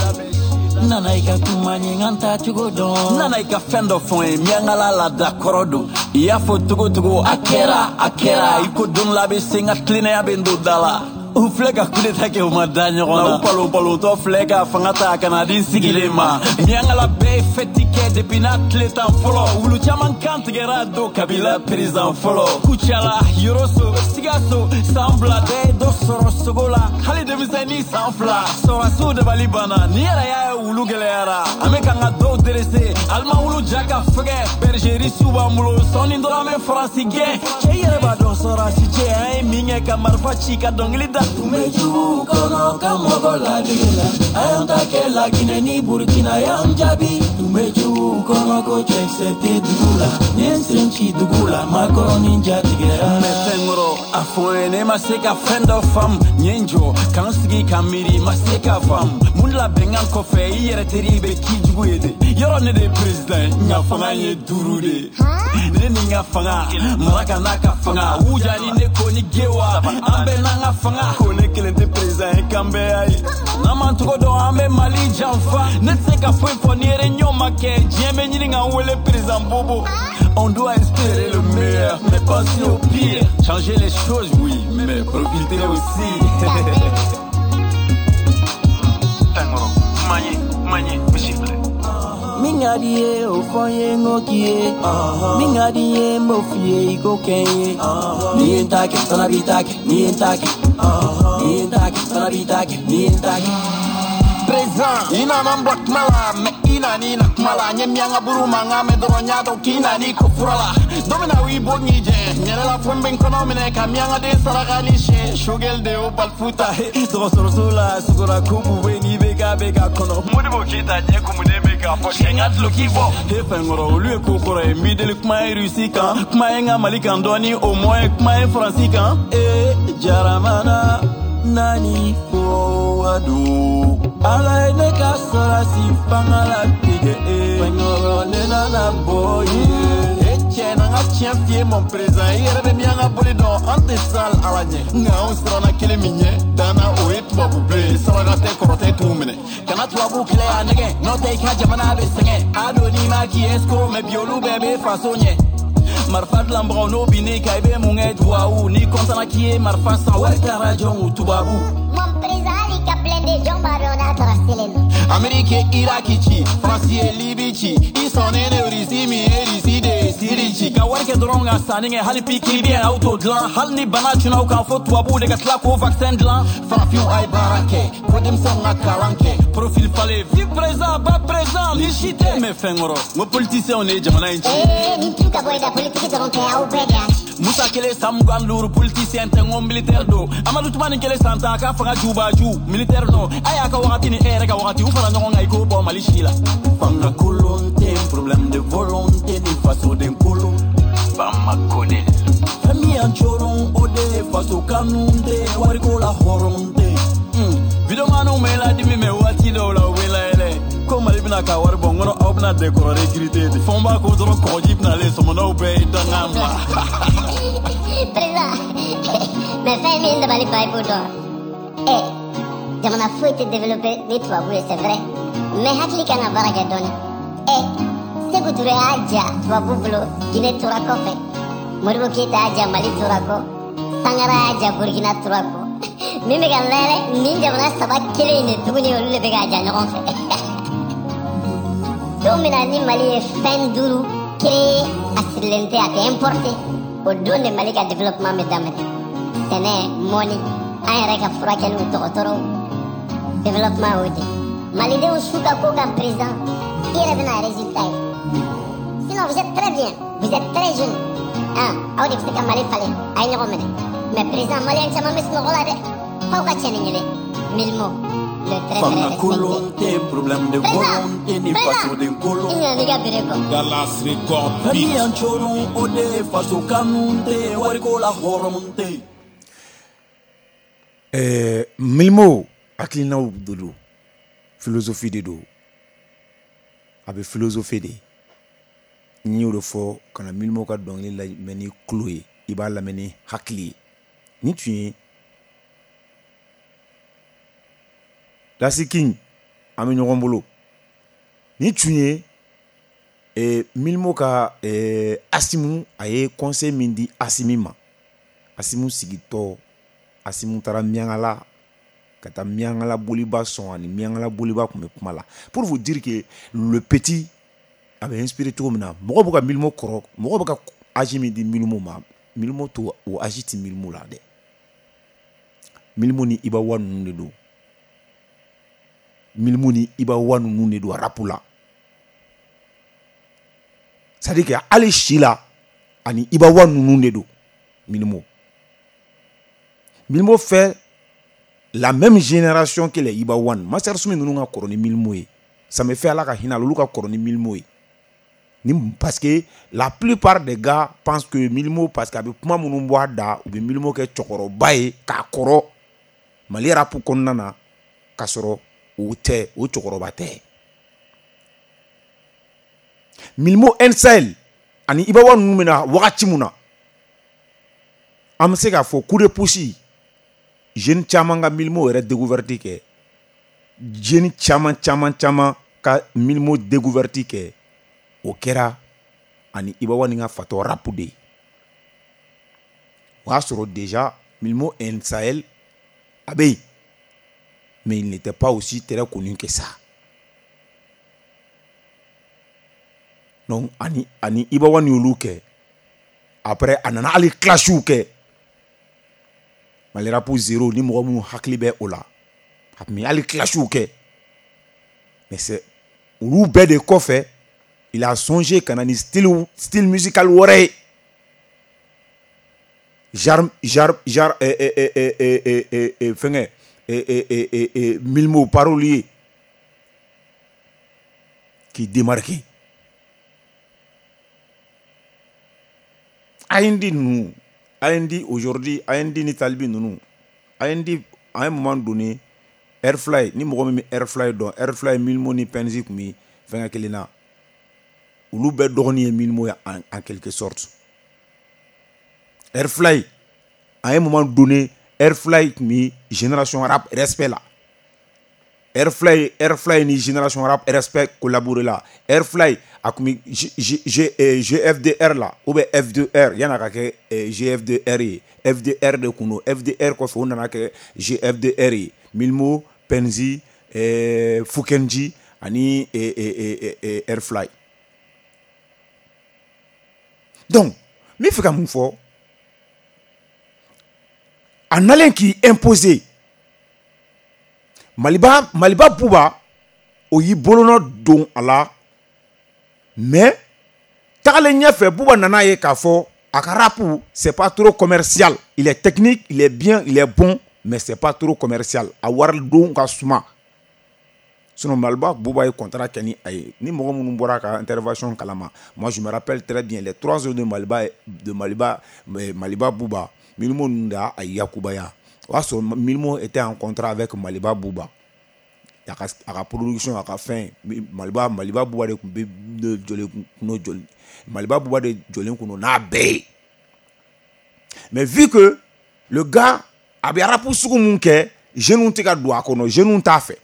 Nana i ka kuma ɲɛ n ka n ta cogo dɔn. Nana i ka fɛn dɔ fɔ n ye miyankala laada kɔrɔ don i y'a fɔ togo togo a kɛra a kɛra i ko don la bɛ se n ka tilennenya bɛ n don da la. U filɛ ka coup d'état kɛ u ma da ɲɔgɔn na u palon palontɔ filɛ ka fanga ta ka na di n sigilen ma miyankala bɛɛ ye fɛti kɛ depuis n'a tile tan fɔlɔ wulu caman kan tigɛra don kabila président fɔlɔ Kucala Yoroso Sikaso san fila bɛɛ ye dɔ sɔrɔ sogo la hali denmisɛnnin san fila sɔrɔsiw dabali banna ni yɛrɛ y'a ye wulu gɛlɛyara an bɛ k'an ka dɔw dressé alima wulu ja ka fɛgɛ bergerie su b'an bolo sɔɔni dɔrɔn an bɛ faransi gɛn cɛ yɛrɛ b'a dɔn sɔrɔsi cɛ an ye min kɛ ka marifa ci ka dɔnkili da. Tun bɛ jugu kɔnɔ ka mɔgɔ ladege la a y'an ta kɛ Laginɛ ni Burukina y'an jaabi. Tun bɛ jugu kɔnɔ ko cɛkisɛ tɛ dugu la n ye n sen ci dugu la makɔrɔni jatigɛra. Mɛ fɛnkɔrɔ a fɔ n ye ne ma se ka fɛn dɔ faamu n ye n jɔ ka n sigi ka miiri ma se ka faamu mun de la bɛnkan kɔfɛ i yɛrɛ teri bɛ k'i jugu ye de yɔrɔ ne de ye président ye n ka fanga ye duuru de ye ne ni n ka fanga maraka n'a ka fanga wuja ni ne ko ni gewa an bɛɛ n'an ka fanga ko ne kelen tɛ président ye k'an bɛɛ y'a ye n'an m'an tɔgɔ dɔn an bɛ Mali janfa ne tɛ se ka foyi fɔ ni réunion ma kɛ diɲɛ bɛ ɲini k'an wele président Bobo. On doit espérer le meilleur mais penser au pire changer les choses oui mais profiter aussi. Fɛnkɔrɔ kuma ye kuma ye misi filɛ. Min ka di ye o fɔ n ye n ko k'i ye. Min ka di n ye n b'o f'i ye i k'o kɛ n ye. N'i ye n ta kɛ n fana b'i ta kɛ. N'i ye n ta kɛ. N'i ye n ta kɛ n fana b'i ta kɛ. N'i ye n ta kɛ. Président i nana n bila kuma la mais i nana na kuma la n ye miyanka buru mankan mɛn dɔrɔn n y'a dɔn k'i nana ko fura la don min na u y'i bɔ k'i jɛ n yɛrɛ la fo n bɛ n kɔnɔ minɛ ka miyankaden saraka ni siyɛn Shogel de y'o balifu ta dɔgɔtɔrɔso la sogora ko bube n'i bɛ k'a bɛ k'a kɔnɔ Modibo Keyita ɲɛ kumunen bɛ k'a fɔ sɛ n ka duloki bɔ he fɛnkɔrɔ olu ye ko kɔrɔ ye n b'i deli kuma ye Rusi kan kuma ye n ka Mali kan dɔɔni au moins kuma ye Faransi kan ee jaramana nani fo wado. Ala ye ne ka sɔrɔsi fanga latigɛ e. Fɛnkɔrɔ ne nana bɔ ye. E cɛ n'an ka tiɲɛ f'i ye mon président i yɛrɛ bɛ miyanka boli dɔn an tɛ sal ala ɲɛ nka anw siranna kelen min ɲɛ danna o ye tubabu bilen saraka tɛ kɔrɔ tɛ t'u minɛ kana tubabu kɛlɛ y'a nɛgɛ n'o tɛ i ka jamana bɛ sɛgɛn a don n'i ma k'i escroc mais bi olu bɛɛ bɛ faso ɲɛ. Marifa dilanbagaw n'o binn'i kan i bɛ mun kɛ duwawu n'i kɔntana k'i ye marifa san wari taara jɔn tubabu. Mon président hali ka blindé jɔn b'a dɔn n'a taara selen na. Amérique ye Iraki ci Faransi ye Libi ci i sɔnnen de Russie min ye Russie de ye Syrie ci ka wari kɛ dɔrɔn ka sanni kɛ hali pikiri biyɛn aw t'o dilan hali ni bana cunna aw kan fo tubabuw de ka tila k'o vaccin dilan. Farafinw a ye baara kɛ ko denmisɛnw ka kalan kɛ profil falen vive président ba président ni si tɛ mɛ fɛnkɔrɔ n ko politicienw de ye jamana in ci. Ee nin tu ka bɔ i da politique dɔrɔn tɛ aw bɛɛ de y'a ci. Musa kelen san mugan duuru politicien tɛ n ko militaire don Amadu Tumani kelen san tan a ka fanga jubaju militaire nɔ a y'a ka wagati ni e yɛrɛ ka wagati u fara ɲɔgɔn kan i k'o bɔ Mali si la. Fanga kolon tɛ problème de volonté ni fasoden kolon. Bamako de. Fɛn min y'an coron o de ye faso kanu tɛ wariko la hɔrɔn tɛ. Videomaniw bɛ ladimi mɛ waati dɔw la u bɛ layɛlɛ ko Mali bɛna ka wari bɔ n kɔnɔ aw bɛna décorer recruter de fɛnw b'a ko dɔrɔn kɔgɔji bɛna ale sɔmɔnɔw bɛɛ ye danga ma. Président, mais fɛn min dabali ban i b'o dɔn. Eh, jamana foyi tɛ développé ni tubabu ye, c'est vrai. Mais hakili kan ka baara kɛ dɔɔni. Eh, Sékou Touré y'a ja tubabu bolo, Guinée tora kɔfɛ. Modibo Keïta y'a ja, Mali tora kɔ. Sangara y'a ja, Burkina tora kɔ. Min bɛ ka n layɛlɛ, nin jamana saba kelen in de tuguni olu de bɛ k'a ja ɲɔgɔn fɛ. Don min na ni Mali ye fɛn duuru créé a sirilen tɛ, a tɛ importé, o don de Mali ka développement bɛ daminɛ. Sɛnɛ, mɔni, an yɛrɛ ka furakɛliw, dɔgɔtɔrɔw, développement y'o de. Malidenw su ka ko kan président, i yɛrɛ bɛna résultat ye. Sinon vous êtes très bien, vous êtes très jeune. Ah, aw de bɛ se ka Mali falen, a ye ɲɔgɔn minɛ. Mais président, maliyɛn caman bɛ sunɔgɔ la dɛ. F'aw ka cɛnni ɲini. Mylmo, le très très Fanga respecté. kolon tɛ problème de volonté ni fasoden kolon. I ɲinɛ n'i ka bere kɔ. Dallas Record Fɛn min Beat. y'an coron o de ye faso kanu tɛ wariko la hɔrɔn tɛ. Ɛɛ Mylmo hakilinaw de don, philosophie de don, a bɛ philosophie de. N y'o de fɔ ka na Mylmo ka dɔnkili lamɛn ni tulo ye, i b'a lamɛn ni hakili ye. Nin tun ye Lasi King, an bɛ ɲɔgɔn bolo. Nin tun ye eh, Mylmo ka eh, Asimu, a ye conseil min di Asimi ma. Asimu sigitɔ, Asimu taara Miɲankala ka taa Miɲankala boliba sɔn, ani Miɲankala boliba tun bɛ kuma la. Pour vous dire que le petit a bɛ inspiré cogo min na, mɔgɔ bɛ ka Mylmo kɔrɔ, mɔgɔ bɛ ka âge min di Mylmo ma, Mylmo to o âge ti Mylmo la dɛ. Mylmo ni Iba One ninnu de don. Mylmo ni Iba One ninnu de don rap la. C'est-à-dire que hali si la ani Iba One ninnu de don Mylmo. Mylmo fait la même génération que les Iba One. Master Soumy ninnu ka kɔrɔ ni Mylmo ye. Ça me fait Ala ka hinɛ a la, olu ka kɔrɔ ni Mylmo ye. Ni, parce que la plupart des gars pensent que Mylmo, parce que a bɛ kuma minnu bɔ a da, u bɛ Mylmo kɛ cɛkɔrɔba ye k'a kɔrɔ Mali rap kɔnɔna na, k'a sɔrɔ o tɛ, o cɛkɔrɔba tɛ. Mylmo N Sahel ani Iba One ninnu bɛna wagati mun na, an bɛ se k'a fɔ coup de pouce, jeune caman ka Mylmo yɛrɛ découverte kɛ, jeune caman caman caman ka Mylmo découverte kɛ, o kɛra ani Iba One ka fatɔ rap de ye. O y'a sɔrɔ déjà Mylmo N Sahel a bɛ yen, mais il n'était pas aussi très connu que ça. Donc ani ani Iba One y'olu kɛ, après a nana hali clashw kɛ. Mali rap zéro, ni mɔgɔ minnu hakili bɛ o la, a tun bɛ hali clashw kɛ. Mais c'est olu bɛɛ de kɔfɛ, il a songé ka na ni style style musical wɛrɛ ye. Genre genre genre eh eh eh eh eh eh eh fɛngɛ eh eh eh eh eh Mylmo parolier qui démarquait. A N D ninnu, A N D aujourd'hui, A N D ni Talibi ninnu, A N D à un moment donné, Airfly, ni mɔgɔ min bɛ Airfly dɔn, Airfly Mylmo ni Penzi tun bɛ fɛngɛ kelen na. Olu bɛɛ dɔgɔnin ye Mylmo ye en, en quelque sorte. Airfly, à un moment donné, Airfly tun bɛ Génération Rap respect la. Airfly, Airfly ni Génération Rap respect collaboré la. Airfly a tun bɛ G, G, G, G F D R la ou bien F deux R, yan'a ka kɛ G F D R ye. F D R de kun don. F D R kɔfɛ o nana kɛ G F D R ye. Mylmo, Penzi, eh, Fukenji ani eh, eh, eh, Airfly. Donc, n bɛ fɛ ka mun fɔ? A nalen k'i imposer, Maliba, Maliba Buba, o y'i bolonɔ don a la, mais tagalen ɲɛfɛ Buba nana ye k'a fɔ a ka rap c'est pas trop commercial. Il est technique, il est bien, il est bon, mais c'est pas trop commercial. A wari don ka suma. Sinon Maliba Bouba ye contrat kɛ ni a ye. Ni mɔgɔ minnu bɔra ka intervention kalama, moi je me rappelle très bien les trois heures de Maliba de Maliba Maliba Bouba, Mylmo ninnu de y'a yakubaya. O y'a sɔrɔ Mylmo était en contrat avec Maliba Bouba. A ka a ka production, a ka fɛn, Maliba Maliba Bouba de tun bɛ jɔlen kun jɔlen Maliba Bouba de jɔlen kun don n'a bɛɛ ye. Mais vu que le gars a bɛ rap sugu mun kɛ, jeunes tɛ ka don a kɔnɔ, jeunes t'a fɛ.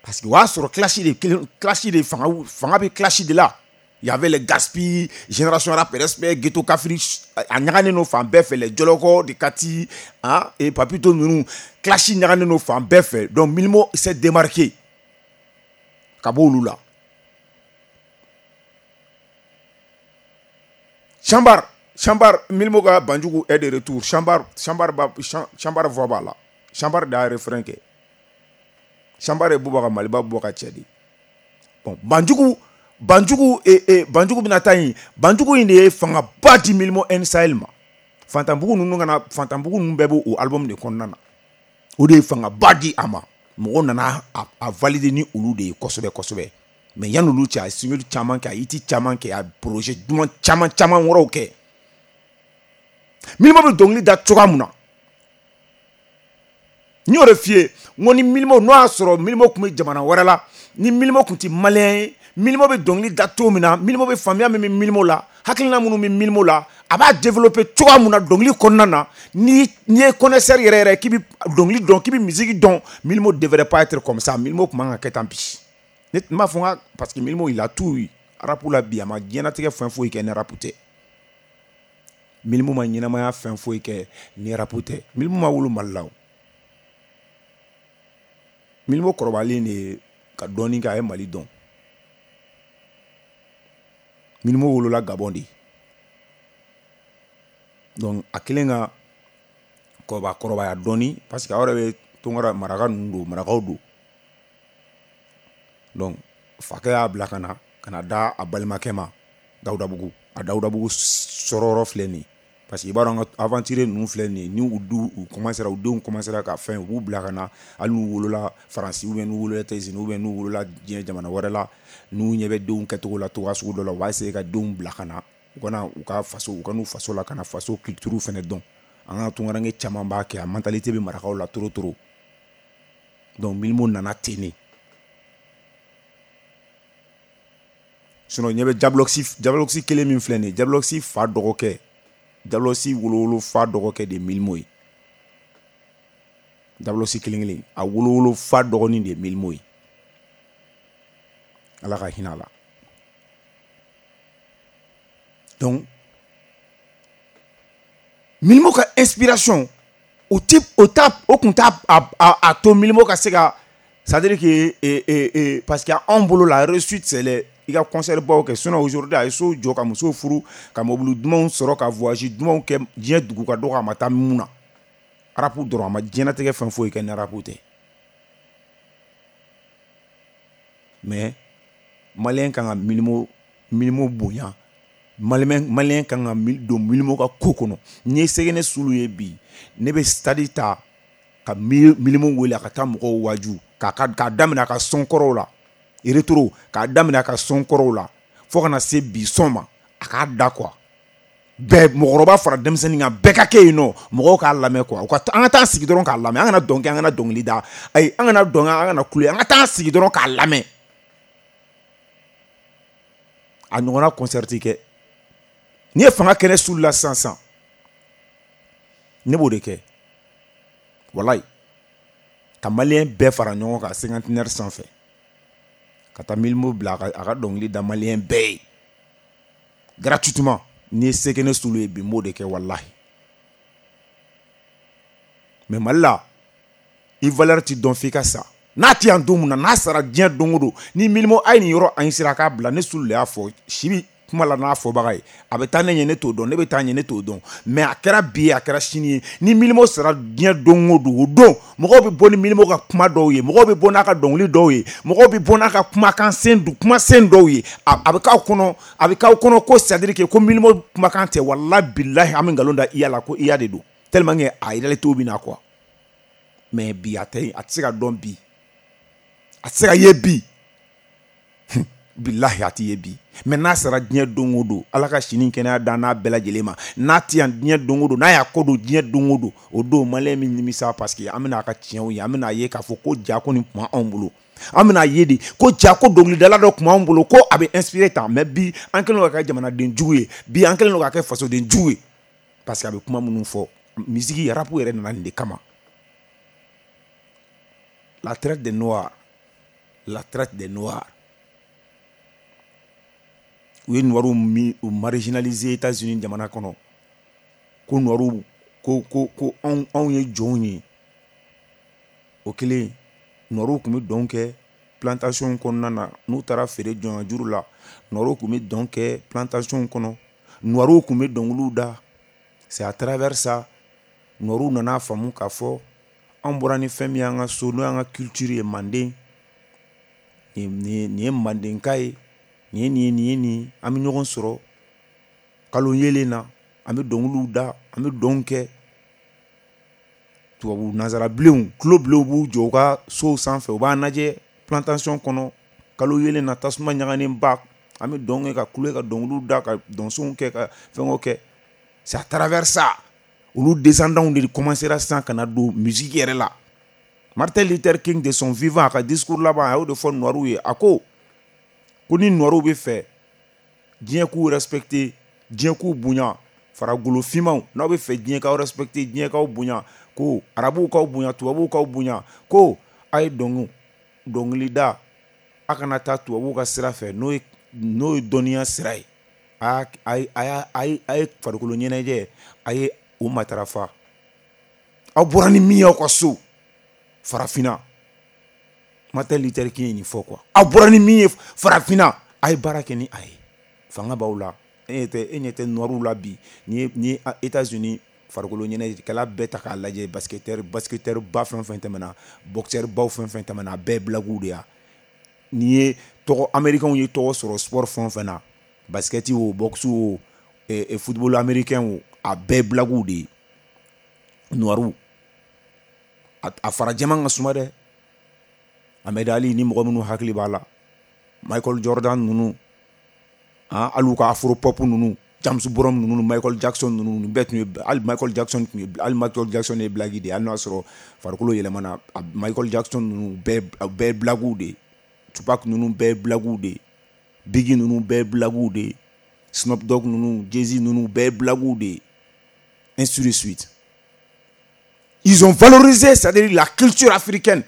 Parce que o y'a sɔrɔ clash de clash de fanga fanga bɛ clash de la. Il y avait les Gaspi, Génération Rap Respect, Ghetto Kafri, a ɲagannen don fan bɛɛ fɛ, les Jɔlɔkɔ de Kati, hein, et Papito ninnu, clash ɲagannen don fan bɛɛ fɛ. Donc Mylmo s'est démarqué ka bɔ olu la. Chambar, Chambar, Mylmo ka Banjugu est de retour. Chambar, Chambar ba, Chambar voix b'a la. Chambar de y'a refrain kɛ. Chambar ye Bouba ka Maliba Bouba ka cɛ de. Bon, Banjugu Banjugu e e Banjugu bɛna taa yen. Banjugu in de ye fangaba di Mylmo N Sahel ma. Fantanbugu ninnu kana Fantanbugu ninnu bɛɛ b'o album de kɔnɔna na. O de ye fangaba di a ma. Mɔgɔw nana a, a valider ni olu de ye kosɛbɛ kosɛbɛ. Mais yanni olu cɛ, a ye single caman kɛ, a ye hit caman kɛ, a ye projet duman caman caman wɛrɛw kɛ. Mylmo bɛ dɔnkili da cogoya mun na? N y'o de f'i ye, n ko ni Mylmo, n'o y'a sɔrɔ Mylmo tun bɛ jamana wɛrɛ la, ni Mylmo tun tɛ malien ye, Mylmo bɛ dɔnkili da cogo min na, Mylmo bɛ faamuya min bɛ Mylmo la, hakilina minnu bɛ Mylmo la, a b'a développer cogoya mun na dɔnkili kɔnɔna na, ni n'i ye connaisseur yɛrɛ yɛrɛ k'i bɛ dɔnkili dɔn, k'i bɛ musique dɔn, Mylmo devrait pas être comme ça. Mylmo tun man ka kɛ tan bi. Ne tun b'a fɔ n ka parce que Mylmo il a tout eu. Rap la bi, a ma diɲɛlatigɛ fɛn foyi kɛ ni rap tɛ. Mylmo ma ɲɛnamaya fɛn foyi kɛ ni rap tɛ. Mylmo ma wolo Mali la o. Mylmo kɔrɔbalen de ka dɔɔnin kɛ, a ye Mali dɔn. Mylmo wolola Gabon de. Donc a kelen ka kɔrɔba kɔrɔbaya dɔɔnin parce que aw yɛrɛ bɛ Tunkara maraka ninnu don, marakaw don. Donc fakɛ y'a bila ka na ka na da a balimakɛ ma Dawudabugu. A Dawudabugu sɔrɔyɔrɔ filɛ nin ye. Parce que i b'a dɔn an ka aventurier ninnu filɛ nin ye, ni u du u commencera u denw commencera ka fɛn, u b'u bila ka na, hali n'u wolola Faransi ou bien n'u wolola États-Unis ou bien n'u wolola diɲɛ jamana wɛrɛ la, n'u ɲɛ bɛ denw kɛcogo la cogoya sugu dɔ la, u b'a essayer ka denw bila ka na, u kana u ka faso, u ka n'u faso la ka na faso culture fɛnɛ dɔn. An ka tunkaranke caman b'a kɛ, a mentalité bɛ marakaw la trop trop. Donc Mylmo nana ten de. Sinon ɲɛ bɛ Diabloxy Diabloxy kelen min filɛ nin ye, Diabloxy fa dɔgɔkɛ, Diabloxy wolowolo fa dɔgɔkɛ de ye Mylmo ye. Diabloxy kelen kelen, a wolowolo fa dɔgɔnin de ye Mylmo ye. Ala ka hinɛ a la. Donc Mylmo ka inspiration o ti o t'a o kun t'a a, a, a to Mylmo ka se ka, c'est-à-dire que eh, eh, eh, parce que anw bolo la réussite c'est les i ka concert baw kɛ. Sinon aujourd'hui a ye so jɔ, ka muso furu, ka mobili dumanw sɔrɔ, ka voyage dumanw kɛ diɲɛ dugu ka dɔgɔ, a ma taa mun na. Rap dɔrɔn, a ma diɲɛlatigɛ fɛn foyi kɛ ni rap tɛ. Mais malien kan ka Mylmo Mylmo bonya, malien malien kan ka don Mylmo ka ko kɔnɔ. N'i ye Sɛgɛnɛ Sulu ye bi, ne bɛ stade ta ka Mylmo wele a ka taa mɔgɔw waaju, k'a k'a daminɛ a ka son kɔrɔw la, rétro, k'a daminɛ a ka son kɔrɔw la fo kana se bi son ma, a k'a da quoi. Bɛɛ, mɔgɔkɔrɔba fara denmisɛnnin kan, bɛɛ ka kɛ yen nɔ, mɔgɔw k'a lamɛn quoi. U ka an ka taa sigi dɔrɔn k'a lamɛn, an kana dɔn kɛ, an kana dɔnkili da, ayi, an kana dɔn kɛ, an kana kule, an ka taa sigi dɔrɔn k'a lamɛn. A ɲɔgɔnna concert kɛ. N'i ye fanga kɛnɛ Sulu la sisan sisan, ne b'o de kɛ. Walayi, ka malien bɛɛ fara ɲɔgɔn kan cinquantenaire sanfɛ, ka taa Mylmo bila a ka a ka dɔnkili da malien bɛɛ ye gratuitement. N'i ye Sɛgɛnɛ Sulu ye bi, n b'o de kɛ walahi. Mais Mali la, i valeur ti dɔn f'i ka sa. N'a ti yan don mun na, n'a sara diɲɛ don o don, ni Mylmo a ye nin yɔrɔ an sera k'a bila, ne Sulu de y'a fɔ, si bi kuma la n'a fɔbaga ye, a bɛ taa ne ɲɛ ne t'o dɔn, ne bɛ taa ɲɛ ne t'o dɔn, mais a kɛra bi ye, a kɛra sini ye, ni Mylmo sara diɲɛ don o don, o don mɔgɔw bɛ bɔ ni Mylmo ka kuma dɔw ye, mɔgɔw bɛ bɔ n'a ka dɔnkili dɔw ye, mɔgɔw bɛ bɔ n'a ka kumakan sen kuma sen dɔw ye, a, a bɛ k'aw kɔnɔ, a bɛ k'aw kɔnɔ ko c'est à dire que ko Mylmo kumakan tɛ, walahi bilahi an bɛ nkalon da iya la ko iya de don, tellement que a réalité bɛ na quoi. Mais bi a tɛ, a tɛ se ka dɔn bi. A tɛ se ka ye bi. Bilahi a tɛ ye bi. Mais n'a sera diɲɛ don o don, Ala ka sini kɛnɛya dan n'a bɛɛ lajɛlen ma. N'a tɛ yan diɲɛ don o don, n'a y'a kɔ don diɲɛ don o don, o don malien min nimisa parce que an bɛna a ka tiɲɛw ye, an bɛna ye k'a fɔ ko ja ko nin tun b'anw bolo. An bɛna ye de ko ja ko dɔnkilidala dɔ tun b'anw bolo ko a bɛ inspiré tan. Mais bi an kɛlen don ka kɛ jamanaden jugu ye, bi an kɛlen don ka kɛ fasoden jugu ye parce que a bɛ kuma minnu fɔ, musique rap yɛrɛ nana nin de kama. La traite des noirs, la traite des noirs. U ye noirs min u marginaliser États-Unis jamana kɔnɔ, ko noirs ko ko ko anw anw ye jɔnw ye. O kelen, noirs tun bɛ dɔn kɛ plantation kɔnɔna na, n'u taara feere jɔnya juru la, noirs tun bɛ dɔn kɛ plantation kɔnɔ, noirs tun bɛ dɔnkiliw da. C'est à travers ça noirs nana faamu k'a fɔ an bɔra ni fɛn min y'an ka so, n'o y'an ka culture ye, manden nin nin ye mandenka ye, nin ye nin ye nin ye nin, an bɛ ɲɔgɔn sɔrɔ kalo yelen na, an bɛ dɔnkiliw da, an bɛ dɔn kɛ. Tubabu nanzarabilenw tulo bilenw b'u jɔ u ka sow sanfɛ, u b'an lajɛ plantation kɔnɔ kalo yelen na, tasuma ɲaganen ba, an bɛ dɔn kɛ ka kule, ka dɔnkiliw da, ka dɔnsow kɛ, ka fɛngɛw kɛ. C'est à travers ça olu descendants de commencera sisan ka na don musique yɛrɛ la. Martin Luther King, de son vivant, a ka discours laban, a y'o de fɔ noirs ye. A ko ko ni noirs bɛ fɛ diɲɛ k'u respecter, diɲɛ k'u bonya, faragolo finmanw, n'aw bɛ fɛ diɲɛ k'aw respecter, diɲɛ k'aw bonya, ko arabuw k'aw bonya, tubabuw k'aw bonya, ko a ye dɔnkili dɔnkilida, a kana taa tubabuw ka sira fɛ, n'o ye n'o ye dɔnniya sira ye. A a a a ye a ye farikolo ɲɛnajɛ, a ye o matarafa. Aw bɔra ni min ye aw ka so farafinna, Martin Luther King ye nin fɔ quoi, aw bɔra ni min ye farafinna, a ye baara kɛ ni a ye, fanga b'aw la. E ɲɛ tɛ e ɲɛ tɛ noirs la bi, ni ye ni ye États-Unis farikolo ɲɛnajɛkɛla bɛɛ ta k'a lajɛ, basketteur basketteur ba fɛn fɛn tɛmɛna, boxeur baw fɛn fɛn tɛmɛna, a bɛɛ blaguw de ya. N'i ye tɔgɔ, américains ye tɔgɔ sɔrɔ sport fɛn o fɛn na, basket o, boxe o, e, football américain o, a bɛɛ blaguw de ye. Noirs a, a farajɛman ka suma dɛ. Ahmed Ali ni mɔgɔ minnu hakili b'a la, Michael Jordan ninnu, han, hali u ka afro pop ninnu, James Brown ninnu, Michael Jackson ninnu, nin bɛɛ tun ye, hali Michael Jackson tun ye, hali Michael Jackson ye blague de ye, hali n'a sɔrɔ farikolo yɛlɛmana. Michael Jackson ninnu bɛɛ bɛɛ blaguw de ye, Tupac ninnu bɛɛ blaguw de ye, Biggie ninnu bɛɛ blaguw de ye, Snoop Dogg ninnu, Jay-Z ninnu bɛɛ blaguw de ye, ainsi de suite. Ils ont valorisé, c'est-à-dire la culture africaine.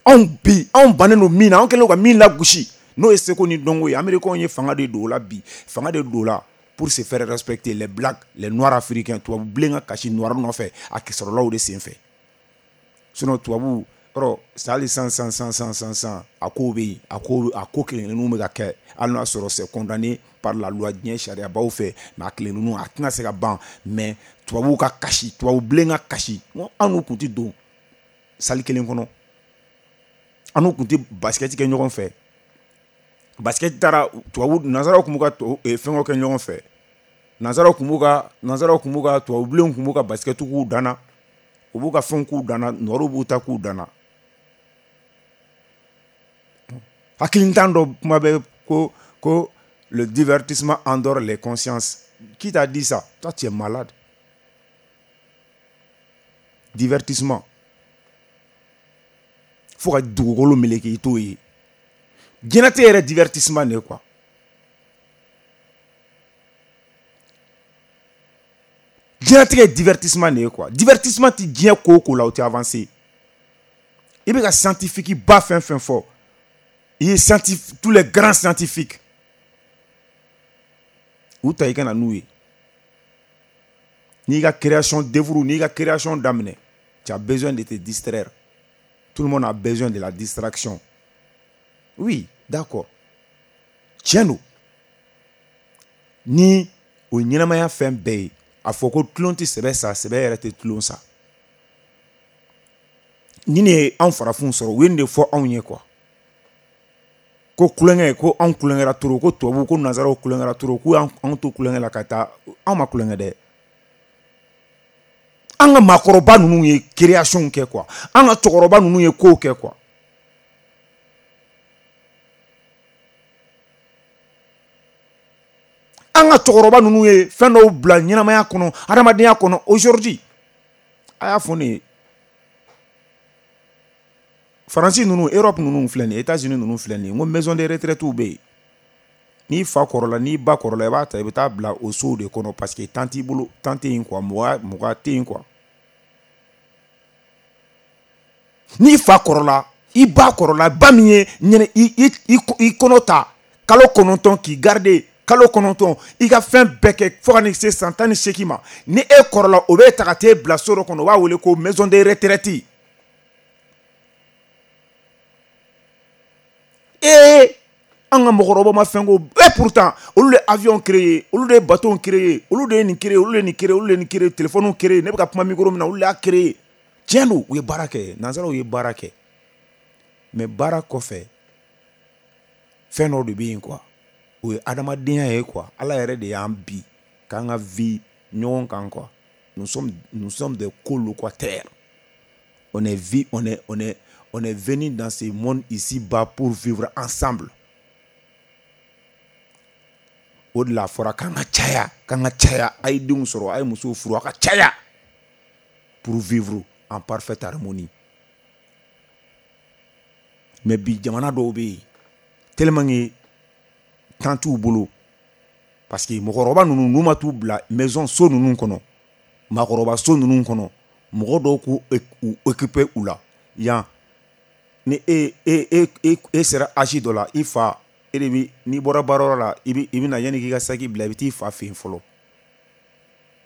Anw bi, anw bannen don min na, anw kɛlen don ka min lagosi, n'o ye seko ni dɔnko ye, américains ye fanga de don o la bi, fanga de don o la pour se faire respecter, les blacks, les noirs africains. Tubabu bilen ka kasi noir nɔfɛ, a sɔrɔla o de sen fɛ. Sinon tubabu yɔrɔ hali san san san san san san, a kow bɛ yen, a ko a ko kelen kelenninw bɛ ka kɛ, hali n'a sɔrɔ c'est condamné par la loi diɲɛ sariyabaw fɛ, mais a kelen ninnu a tɛna se ka ban. Mais tubabuw ka kasi, tubabu bilen ka kasi, n ko an n'u kun tɛ don salle kelen kɔnɔ, an n'u kun tɛ basket kɛ ɲɔgɔn fɛ. Basket taara tubabu nanzaraw kun b'u ka fɛngɛw kɛ ɲɔgɔn fɛ, nanzaraw kun b'u ka nanzaraw kun b'u ka tubabu bilenw kun b'u ka basket k'u danna, u b'u ka fɛnw k'u danna, nɔrɔw b'u ta k'u danna. Hakilintan dɔ kuma bɛ ko ko le divertissement endort les consciences. Qui t'a dit ça? Toi, tu es malade. Divertissement, fo ka dugukolo meleke i t'o ye. Diɲɛnatigɛ yɛrɛ divertissement de ye quoi. Diɲɛnatigɛ ye divertissement de ye quoi. Divertissement tɛ diɲɛ ko o ko la, o tɛ avancer. I bɛ ka scientifique ba fɛn fɛn fɔ, i ye scientifique, tous les grands scientifiques, u ta i ka na n'u ye. N'i ka création d'œuvre, n'i ka création daminɛ, tu as besoin de te distraire. Tout le monde a besoin de la distraction. Oui, d'accord, tiɲɛ don. Ni o ye ɲɛnamaya fɛn bɛɛ ye, a fɔ ko tulon tɛ sɛbɛ sa, sɛbɛ yɛrɛ tɛ tulon sa. Ni ne ye anw farafinw sɔrɔ, u ye nin de fɔ anw ye quoi, ko kulonkɛ, ko anw kulonkɛra trop, ko tubabu, ko nanzaraw kulonkɛra trop, k'u y'anw to kulonkɛ la ka taa. Anw ma kulonkɛ dɛ. An ka maakɔrɔba ninnu ye création kɛ quoi, an ka cɛkɔrɔba ninnu ye kow kɛ quoi. An ka cɛkɔrɔba ninnu ye fɛn dɔw bila ɲɛnamaya kɔnɔ, adamadenya kɔnɔ aujourd'hui. A y'a fɔ ne ye. Faransi ninnu, Europe ninnu filɛ nin ye, États-Unis ninnu filɛ nin ye, n ko maison de retraite bɛ yen. N'i fa kɔrɔla, n'i ba kɔrɔla, i b'a ta i bɛ taa bila o sow de kɔnɔ parce que temps t'i bolo, temps tɛ yen quoi, mɔgɔ mɔgɔ tɛ yen quoi. N'i fa kɔrɔla, i ba kɔrɔla, ba min ye ɲɛnɛ i i i kɔnɔ ta kalo kɔnɔntɔn k'i garder kalo kɔnɔntɔn, i ka fɛn bɛɛ kɛ fo ka n'i se san tan ni seegin ma, ni e kɔrɔla o bɛ ta ka t'e bila so dɔ kɔnɔ, u b'a wele ko maison de retraite. Ee an ka mɔgɔkɔrɔbaw ma fɛn ko, et pourtant olu de avion créé, olu de bateau créé, olu de ye nin créé, olu de ye nin créé, olu de ye nin créé, téléphone créé, ne bɛ ka kuma micro min na olu de y'a créé. Tiɲɛ don, u ye baara kɛ, nanzaraw ye baara kɛ, mais baara kɔfɛ fɛn dɔ de bɛ yen quoi, o ye adamadenya ye quoi. Ala yɛrɛ de y'an bi k'an ka vie ɲɔgɔn kan quoi. Nous sommes nous sommes des colocataires. On est vi, on est on est on est venu dans ce monde ici-bas pour vivre ensemble. O de la fɔra k'an ka caya, k'an ka caya, a ye denw sɔrɔ, a ye musow furu, a ka caya pour vivre en parfaite harmonie. Mais bi jamana dɔw bɛ yen tellement que temps t'u bolo, parce que mɔgɔkɔrɔba ninnu n'u ma t'u bila maison so ninnu kɔnɔ, maakɔrɔba so ninnu kɔnɔ, mɔgɔ dɔw k'u u occuper u la yan. Ni e e e e e sera âge dɔ la, i fa e de bi, n'i bɔra baarayɔrɔ la, i bi i bɛ na yanni k'i ka saki bila, i bɛ t'i fa fɛ yen fɔlɔ,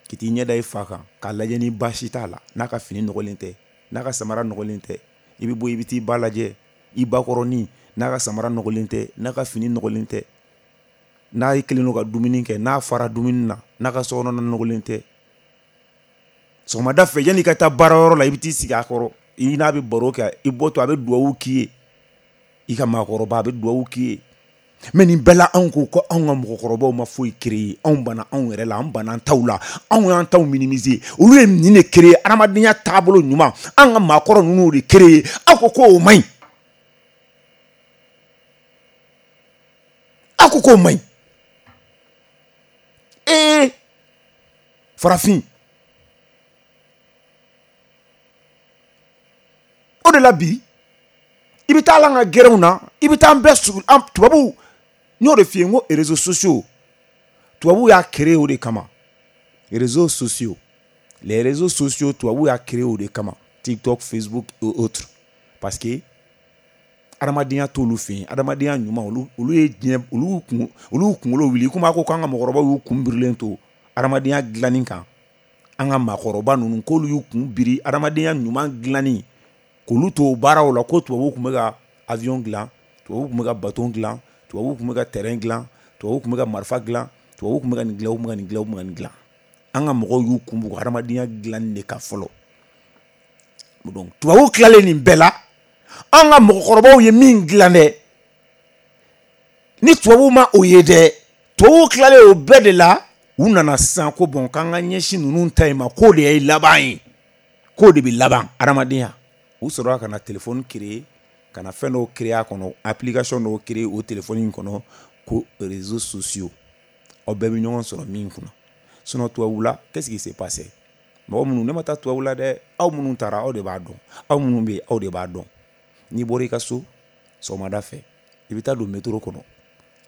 k'i t'i ɲɛ da i fa kan k'a lajɛ ni baasi t'a la, n'a ka fini nɔgɔlen tɛ, n'a ka samara nɔgɔlen tɛ. I bɛ bɔ i bɛ t'i ba lajɛ, i bakɔrɔnin, n'a ka samara nɔgɔlen tɛ, n'a ka fini nɔgɔlen tɛ, n'a kelen don ka dumuni kɛ, n'a fara dumuni na, n'a ka sokɔnɔna nɔgɔlen tɛ. Sɔgɔmada fɛ yanni i ka taa baarayɔrɔ la, i bɛ t'i sigi a kɔrɔ, i n'a bɛ baro kɛ, i bɔtɔ a bɛ duwawu k'i ye, i ka maakɔrɔba a bɛ duwawu k'i ye. Mais nin bɛɛ la anw ko ko anw ka mɔgɔkɔrɔbaw ma foyi créer, anw banna anw yɛrɛ la, an banna an taw la, anw y'an taw minimiser. Olu ye nin de créer, adamadenya taabolo ɲuman, an ka maakɔrɔ ninnu de créer, aw ko k'o man ɲi, aw ko k'o man ɲi. Ee farafin, o de la bi i bɛ taa an ka gɛrɛnw na, i bɛ taa an bɛɛ sugu, an tubabuw, n y'o de f'i ye, n ko réseaux sociaux tubabuw y'a créé o de kama. Réseaux sociaux, les réseaux sociaux tubabuw y'a créé o de kama, TikTok, Facebook et autres, parce que adamadenya t'olu fɛ yen, adamadenya ɲuman olu olu ye diɲɛ, olu kun olu kunkolo wuli, komi a ko k'an ka mɔgɔkɔrɔbaw y'u kun birilen to adamadenya dilanni kan, an ka maakɔrɔba ninnu k'olu y'u kun biri adamadenya ɲuman dilanni, k'olu to baaraw la, ko tubabuw tun bɛ ka avion dilan, tubabuw tun bɛ ka bateau dilan, tubabuw tun bɛ ka terrain dilan, tubabuw tun bɛ ka marifa dilan, tubabuw tun bɛ ka nin dilan, u tun bɛ ka nin dilan, u tun bɛ ka nin dilan. An ka mɔgɔw y'u kun bugɔ adamadenya dilanni de kan fɔlɔ. Donc tubabuw tilalen nin bɛɛ la, an ka mɔgɔkɔrɔbaw ye min dilan dɛ, ni tubabuw ma o ye dɛ, tubabuw tilalen o bɛɛ de la, u nana sisan ko bon k'an ka ɲɛsin ninnu ta in ma, k'o de ye laban ye, k'o de bɛ laban adamadenya. U sɔrɔla ka na téléphone créer, ka na fɛn dɔw créer a kɔnɔ, application dɔw créer o téléphone in kɔnɔ, ko réseaux sociaux, aw bɛɛ bɛ ɲɔgɔn sɔrɔ min kunna. Sinon tubabu la, qu'est-ce qui s'est passé? Mɔgɔ minnu, ne ma taa tubabu la dɛ, aw minnu taara aw de b'a dɔn, aw minnu bɛ yen aw de b'a dɔn. N'i bɔra i ka so sɔgɔmada fɛ, i bɛ taa don métro kɔnɔ,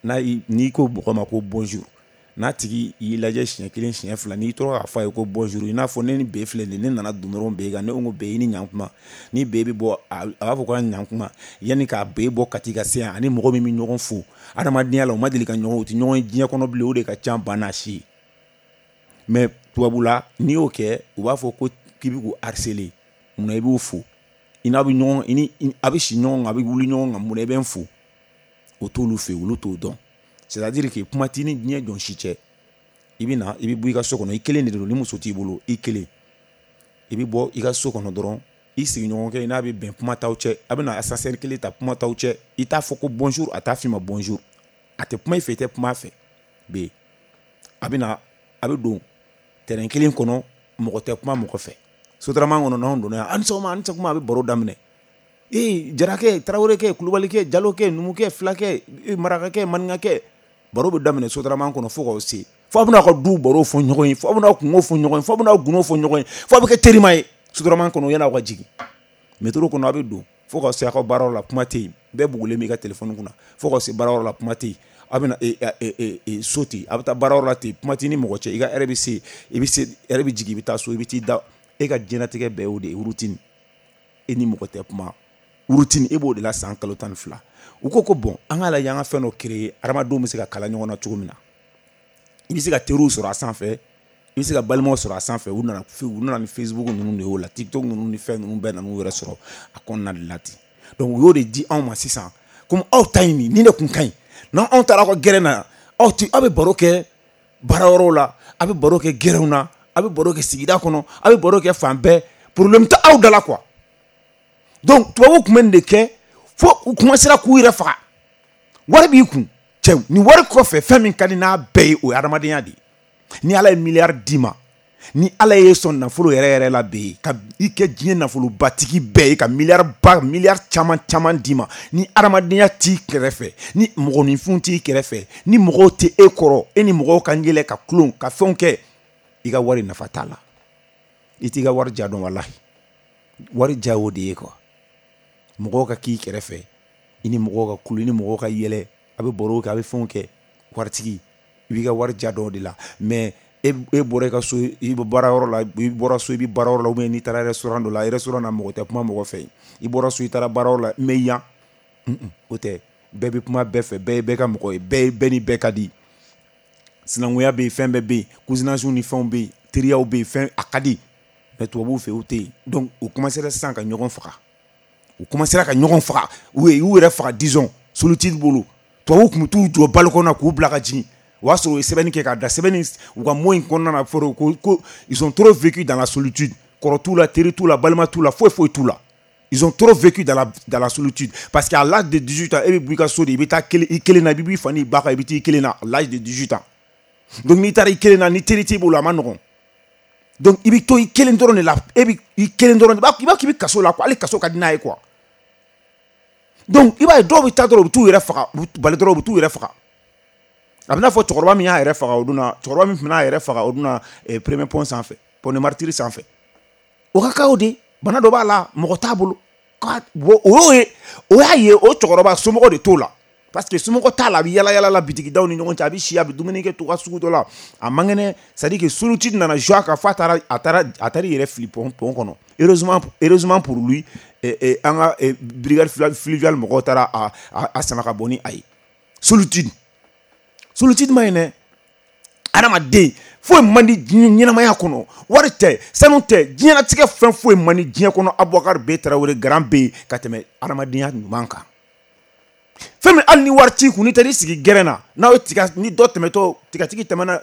n'a n'i ko mɔgɔ ma ko bonjour, n'a tigi y'i lajɛ siɲɛ kelen siɲɛ fila, n'i tora k'a fɔ a ye ko bonjour, i n'a fɔ ne ni B filɛ nin ye, ne nana don dɔrɔn B kan, ne ko B i ni ɲankuma, ni B bɛ bɔ a b'a fɔ k'a ɲankuma, yanni k'a B bɔ Kati ka se yan, ani mɔgɔ min bɛ ɲɔgɔn fo adamadenya la, u ma deli ka ɲɔgɔn, u tɛ ɲɔgɔn ye diɲɛ kɔnɔ bilen, o de ka ca ba n'a si ye. Mais tubabu la, n'i y'o kɛ, u b'a fɔ ko k'i bɛ k'u harceler, munna i b'u fo, i n'a bɛ ɲɔgɔn, i ni a bɛ si ɲɔgɔn kan, a bɛ wuli ɲɔgɔn kan, munna i bɛ n fo? O t'olu fɛ yen, olu t'o dɔn. C'est-à-dire que kuma t'i ni diɲɛ jɔn si cɛ. I bɛ na, i bɛ bɔ i ka so kɔnɔ, i kelen de don, ni muso t'i bolo, i kelen. I bɛ bɔ i ka so kɔnɔ dɔrɔn, i sigiɲɔgɔnkɛ i n'a bɛ bɛn kuma t'aw cɛ, a bɛ na ascenseur kelen ta kuma t'aw cɛ, i t'a fɔ ko bonjour, a t'a f'i ma bonjour, a tɛ kuma i fɛ, i tɛ kuma a fɛ. B a bɛ na, a bɛ don terrain kelen kɔnɔ, mɔgɔ tɛ kuma mɔgɔ fɛ. Sotarama kɔnɔ n'anw donna yan, a ni sɔgɔma, a ni sɔgɔma, a bɛ baro daminɛ. Ee jarakɛ, tarawelekɛ, kulubalikɛ, jalokɛ, numukɛ, fulakɛ, marakakɛ, maninkakɛ, baro bɛ daminɛ sotarama kɔnɔ fo k'aw se. Fo a bɛna ka du baro fɔ ɲɔgɔn ye, fo a bɛna kungo fɔ ɲɔgɔn ye, fo a bɛna gundo fɔ ɲɔgɔn ye, fo a bɛ kɛ terima ye. Sotarama kɔnɔ yan'aw ka jigin, métro kɔnɔ a bɛ don fo ka se aw ka baarayɔrɔ la, kuma tɛ yen, bɛɛ bugulen b'i ka téléphone kunna, fo ka se baarayɔrɔ la, kuma tɛ yen. A bɛna so ten, a bɛ taa baarayɔrɔ la ten, kuma tɛ ni mɔgɔ cɛ, i ka heure bɛ se, i bɛ se, heure bɛ jigin, i bɛ taa so, i bɛ t'i da. E ka diɲɛlatigɛ bɛɛ y'o de ye, routine. E ni mɔgɔ tɛ kuma, routine, e b'o de la san kalo tan ni fila. U ko ko bon, an k'a lajɛ an ka fɛn dɔ créer, adamadenw bɛ se ka kala ɲɔgɔn na cogo min na. I bɛ se ka teriw sɔrɔ a sanfɛ, i bɛ se ka balimaw sɔrɔ a sanfɛ. U nana u nana ni Facebook ninnu de y'o la, TikTok ninnu ni fɛn ninnu bɛɛ nan'u yɛrɛ sɔrɔ a kɔnɔna de la ten. Donc u y'o de di anw ma sisan, komi aw ta in nin nin de kun ka ɲi. N'anw aw taara aw ka gɛrɛn na, aw ti aw bɛ baro kɛ baarayɔrɔw la, aw bɛ baro kɛ gɛrɛnw na, aw bɛ baro kɛ sigida kɔnɔ, aw bɛ baro kɛ fan bɛɛ, problème tɛ aw da la quoi. Donc tubabuw tun bɛ nin de kɛ fo u commencera k'u yɛrɛ faga. Wari b'i kun cɛw, ni wari kɔfɛ fɛn min ka di n'a bɛɛ ye, o ye adamadenya de ye. Ni Ala ye miliyari d'i ma, ni Ala ye sɔn nafolo yɛrɛ yɛrɛ la bɛ ka i kɛ diɲɛ nafolobatigi bɛɛ ye, ka miliyari ba miliyari caman caman d'i ma, ni adamadenya t'i kɛrɛfɛ, ni mɔgɔninfinw t'i kɛrɛfɛ, ni mɔgɔw tɛ e kɔrɔ, e ni mɔgɔw ka yɛlɛ ka tulon ka fɛnw kɛ, i ka wari nafa t'a la. I t'i ka wari ja dɔn, walahi. Wari ja y'o de ye quoi. Mɔgɔw ka k'i kɛrɛfɛ, i ni mɔgɔw ka kulo, i ni mɔgɔw ka yɛlɛ, a bɛ baro kɛ, a bɛ fɛnw kɛ. Waritigi, i b'i ka wari ja dɔn o de la. Mais e e bɔra i ka so, i bɛ baarayɔrɔ la, i bɔra so, i bɛ baarayɔrɔ la, ou bien n'i taara restaurant dɔ la, restaurant na mɔgɔ tɛ kuma mɔgɔ fɛ. I bɔra so, i taara baarayɔrɔ la, mais yan o tɛ, bɛɛ bɛ kuma bɛɛ fɛ, bɛɛ ye bɛɛ ka mɔgɔ ye, bɛɛ bɛɛ ni bɛɛ ka di. Sinankunya bɛ yen, fɛn bɛɛ bɛ yen, cousinage ni fɛnw bɛ yen, teriyaw bɛ yen, fɛn a ka di. Mais tubabuw fɛ o tɛ yen. Donc u commencera sisan ka ɲɔgɔn faga, u commencera ka ɲɔgɔn faga, u ye u yɛrɛ faga, disons solitude bolo. Tubabuw tun bɛ t'u jɔ balcon na k'u bila ka jigin. O y'a sɔrɔ u ye sɛbɛnni kɛ k'a da sɛbɛnni u ka mot in kɔnɔna na, fɔra ko ko ils ont trop vécu dans la solitude. Kɔrɔ t'u la, teri t'u la, balima t'u la, foyi foyi t'u la. Ils ont trop vécu dans la dans la solitude, parce qu'à l'âge de dix-huit ans, e bɛ bɔ i ka so de, i bɛ taa kelen i kelen na, i bɛ b'i fa n'i ba kan, i bɛ t'i kelen na à l'âge de dix-huit ans. Donc n'i taara i kelen na, ni teri t'i bolo, a ma nɔgɔn. Donc i bɛ to i kelen dɔrɔn de la, e bɛ i kelen dɔrɔn de, i b'a k'i bɛ kaso la quoi, hali kaso ka di n'a ye quoi. Donc i b'a ye dɔw bɛ taa dɔrɔn, u bɛ t'u yɛrɛ faga, u bɛ bali dɔrɔn, u bɛ t'u yɛrɛ faga. A bɛ n'a fɔ cɛkɔrɔba min y'a yɛrɛ faga o don na, cɛkɔrɔba min tun bɛna a yɛrɛ faga o don na, premier pont sanfɛ, pont de martyr sanfɛ. O ka kan o de, bana dɔ b'a la, mɔgɔ t'a bolo. O y'o ye, o y'a ye o cɛkɔrɔba somɔgɔ de t'o la. Parce que somɔgɔ t'a la, a bɛ yala yala la bitigidaw ni ɲɔgɔn cɛ, a bɛ si, a bɛ dumuni kɛ to ka sugu dɔ la, a man kɛnɛ. C'est à dire que solitude nana jouer a kan f'a taara a taara a taara i yɛrɛ fili pont pont kɔnɔ. Heureusement heureusement pour lui, an ka brigade fluviale mɔgɔw taara a a sama ka bɔ ni a ye. Solitude solitude ma ɲi dɛ. Adamaden foyi man di diɲɛ ɲɛnamaya kɔnɔ, wari tɛ, sanu tɛ, diɲɛlatigɛ fɛn foyi man di diɲɛ kɔnɔ. Abubakar B Tarawele garan bɛ yen ka tɛmɛ adamadenya ɲuman kan. Fɛn min hali ni wari t'i kun, n'i taara i sigi gɛrɛn na, n'aw ye tiga, ni dɔ tɛmɛtɔ tigatigi tɛmɛna,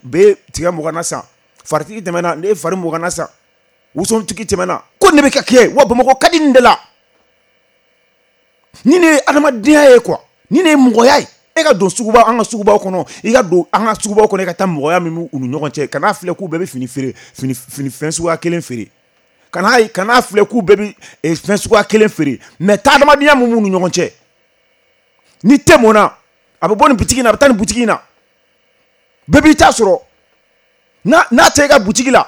bɛ tiga mugan na san, faritigi tɛmɛna, ne ye fari mugan na san, wosontigi tɛmɛna, ko ne bɛ ka kɛ wa Bamakɔ ka di nin de la. Ni ne ye adamadenya ye quoi, ni ne ye mɔgɔya ye. E ka don suguba, an ka sugubaw kɔnɔ, i ka don an ka sugubaw kɔnɔ, i ka taa mɔgɔya min b'u ni ɲɔgɔn cɛ, kan'a filɛ k'u bɛɛ bɛ fini feere, fini fini fɛn suguya kelen feere, kan'a kan'a filɛ k'u bɛɛ bɛ fɛn suguya kelen feere, mais taa adamadenya min b'u ni ɲɔgɔn cɛ. Ni tɛ mɔnna, a bɛ bɔ nin butigi in na, a bɛ taa nin butigi in na, bɛɛ b'i ta sɔrɔ. N'a n'a tɛ e ka butigi la,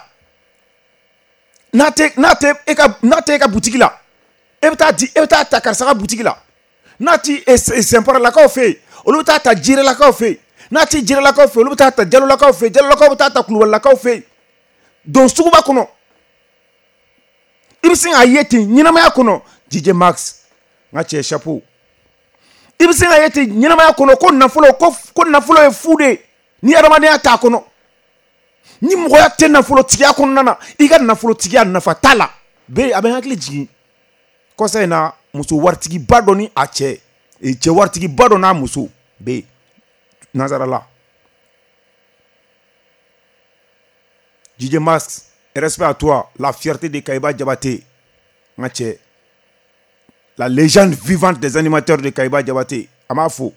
n'a tɛ n'a tɛ e ka n'a tɛ e ka butigi la, e bɛ taa di, e bɛ taa ta karisa ka butigi la. N'a ti Sɛnparalakaw fɛ yen, olu bɛ taa ta Jirelakaw fɛ yen. N'a ti Jirelakaw fɛ yen, olu bɛ taa ta Jalolakaw fɛ yen. Jalolakaw bɛ taa ta Kulubalilakaw fɛ yen. Don suguba kɔnɔ, i bɛ sin k'a ye ten ɲɛnamaya kɔnɔ. D J Max, n ka cɛ chapeau. I bɛ se k'a ye ten ɲɛnamaya kɔnɔ ko nafolo ko ko nafolo ye fu de ye ni adamadenya t'a kɔnɔ. Ni mɔgɔya tɛ nafolotigiya kɔnɔna na, i ka nafolotigiya nafa t'a la. Bɛɛ a bɛ n hakili jigin kɔsa in na, muso waritigiba dɔ ni a cɛ, cɛ waritigiba dɔ n'a muso bɛ yen nansarala. D J Max, respect à toi, la fierté de Kayiba Diabaté, n ka cɛ. La légende vivante des animateurs de Kayiba Diabaté, a m'a fo.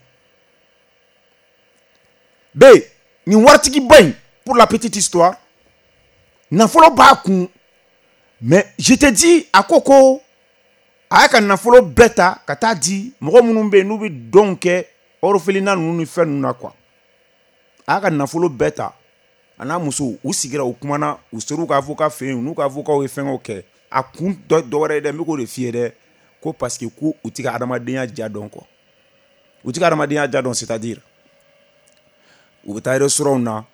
B, nin waritigiba in, pour la petite histoire, nafolo b'a kun, mais je te dis, a ko ko a y'a ka nafolo bɛɛ ta ka taa di mɔgɔ minnu bɛ yen n'u bɛ dɔn kɛ orphelinat ninnu ni fɛn ninnu na quoi. A y'a ka nafolo bɛɛ ta, a n'a muso, u sigira, u kumana, u ser'u ka avocat fɛ yen, n'u ka avocat ye fɛngɛw kɛ. A kun dɔ wɛrɛ ye dɛ, n bɛ k'o de f'i ye dɛ, ko parce que ko u ti ka adamadenya ja dɔn quoi. U ti ka adamadenya ja dɔn, c'est à dire u bɛ taa restaurant na,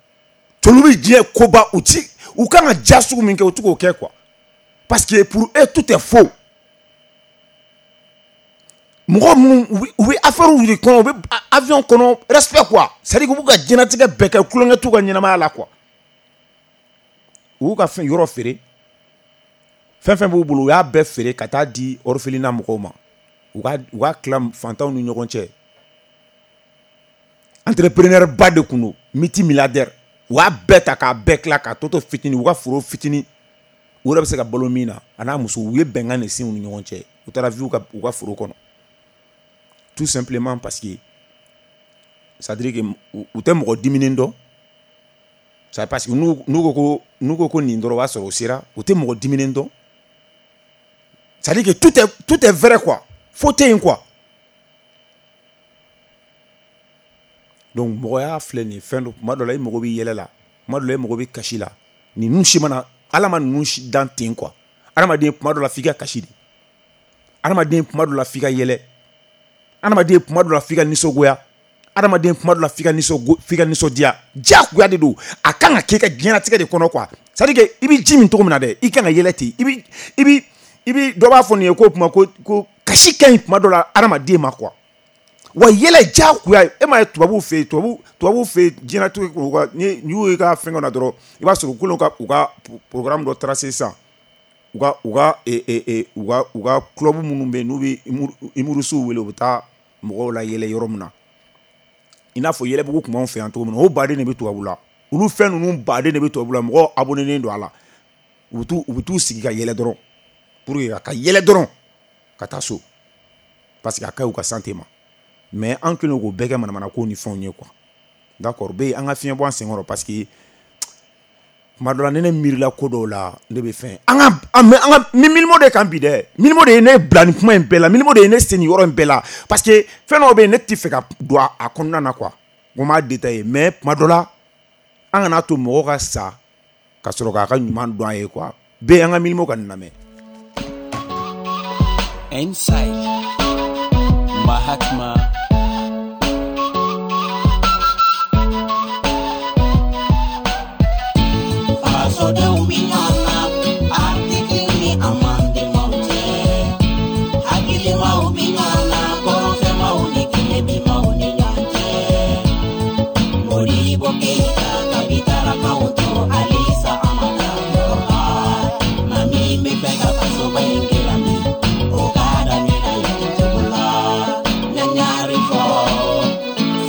tolu bɛ diɲɛ koba, u ti u kan ka ja sugu min kɛ, u ti k'o kɛ quoi. Parce que pour eux tout est faux. Mɔgɔ minnu u bɛ affaire de kɔnɔ, u bɛ avion kɔnɔ, respect quoi. C'est à dire u b'u ka diɲɛlatigɛ bɛɛ kɛ, tulonkɛ t'u ka ɲɛnamaya la quoi. U y'u ka fɛn yɔrɔ feere, fɛn fɛn b'u bolo, u y'a bɛɛ feere ka taa di orphelinat mɔgɔw ma. U ka u ka tila fantanw ni ɲɔgɔn cɛ. Entrepreneur ba de kun don, multimilliardaire. U y'a bɛɛ ta k'a bɛɛ tila k'a tɔ to fitinin, u ka foro fitinin, u yɛrɛ bɛ se ka balo min na, a n'a muso, u ye bɛnkan de sin u ni ɲɔgɔn cɛ. U taara vivre u ka u ka foro kɔnɔ. Tout simplement parce que c'est à dire que u tɛ mɔgɔ diminen dɔn. C'est parce que n'u n'u ko ko n'u ko ko nin dɔrɔn, o b'a sɔrɔ o sera, u tɛ mɔgɔ diminen dɔn. C'est à dire que tout est tout est vrai quoi. Faux tɛ yen quoi. Donc mɔgɔya filɛ nin ye, fɛn dɔ, tuma dɔ la i mago bɛ yɛlɛ la, tuma dɔ la i mago bɛ kasi la. Ninnu si mana, Ala ma ninnu si dan ten quoi. Adamaden tuma dɔ la f'i ka kasi de. Adamaden tuma dɔ la f'i ka yɛlɛ. Adamaden tuma dɔ la f'i ka nisɔngoya. Adamaden tuma dɔ la f'i ka nisɔn f'i ka nisɔndiya. Diyagoya de don. A kan ka kɛ i ka diɲɛlatigɛ de kɔnɔ quoi. C'est à dire que i bɛ ji min cogo min na dɛ, i kan ka yɛlɛ ten. I bɛ i bɛ i bɛ dɔ b'a fɔ nin ye ko kuma ko ko kasi ka ɲi tuma dɔ la adamaden ma quoi. Wa yɛlɛ diyagoya, e m'a ye tubabuw fɛ yen, tubabu tubabuw fɛ yen diɲɛlatigɛ u ka ni y'u ka fɛngɛ na dɔrɔn, i b'a sɔrɔ u kɛlen ka u ka programme dɔ tracer sisan. U ka u ka u ka u ka club minnu bɛ yen n'u bɛ humoristew wele, u bɛ taa mɔgɔw la yɛlɛ yɔrɔ min na. I n'a fɔ yɛlɛbugu tun b'anw fɛ yan cogo min na, o baden de bɛ tubabu la. Olu fɛn ninnu baden de bɛ tubabu la, mɔgɔw abonnénen don a la. U bɛ t'u u bɛ t'u sigi ka yɛlɛ dɔrɔn, pour que ka yɛlɛ dɔrɔn ka taa so, parce que a ka ɲi u ka santé ma. Mais an kɛlen k'o bɛɛ kɛ manamana ko ni fɛnw ye quoi. D'accord, bɛ an ka fiɲɛ bɔ an senkɔrɔ, parce que tuma dɔ la ni ne miirila ko dɔw la, ne bɛ fɛn an ka an ka Mylmo de kan bi dɛ. Mylmo de ye ne bila nin kuma in bɛɛ la, Mylmo de ye ne sen nin yɔrɔ in bɛɛ la, parce que fɛn dɔw bɛ yen ne tɛ fɛ ka don a kɔnɔna na quoi. Ko n b'a détailler, mais tuma dɔ la an kana to mɔgɔ ka sa ka sɔrɔ k'a ka ɲuman dɔn a ye quoi. Bɛɛ an ka Mylmo ka nin lamɛn. Inside Mahatma Fasodenw bi ɲɔgɔn na, article ni amendement cɛ. Hakilimaw bi ɲɔgɔn na, kɔrɔnfɛmaw ni tilebimaw ni ɲɔgɔn cɛ. Modibo Keita kabitara k'anw to halisa an ma taa yɔrɔ la. Maa min bɛ fɛ ka fasoba in dilan bi, o k'a daminɛ yen cogo la. Ɲaɲari fɔ,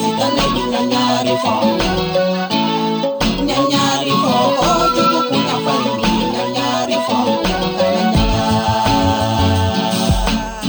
sitanɛ bi ɲaɲari fɔ. Ɲaɲari fɔ, kojugu kunnafoni bi ɲaɲari fɔ.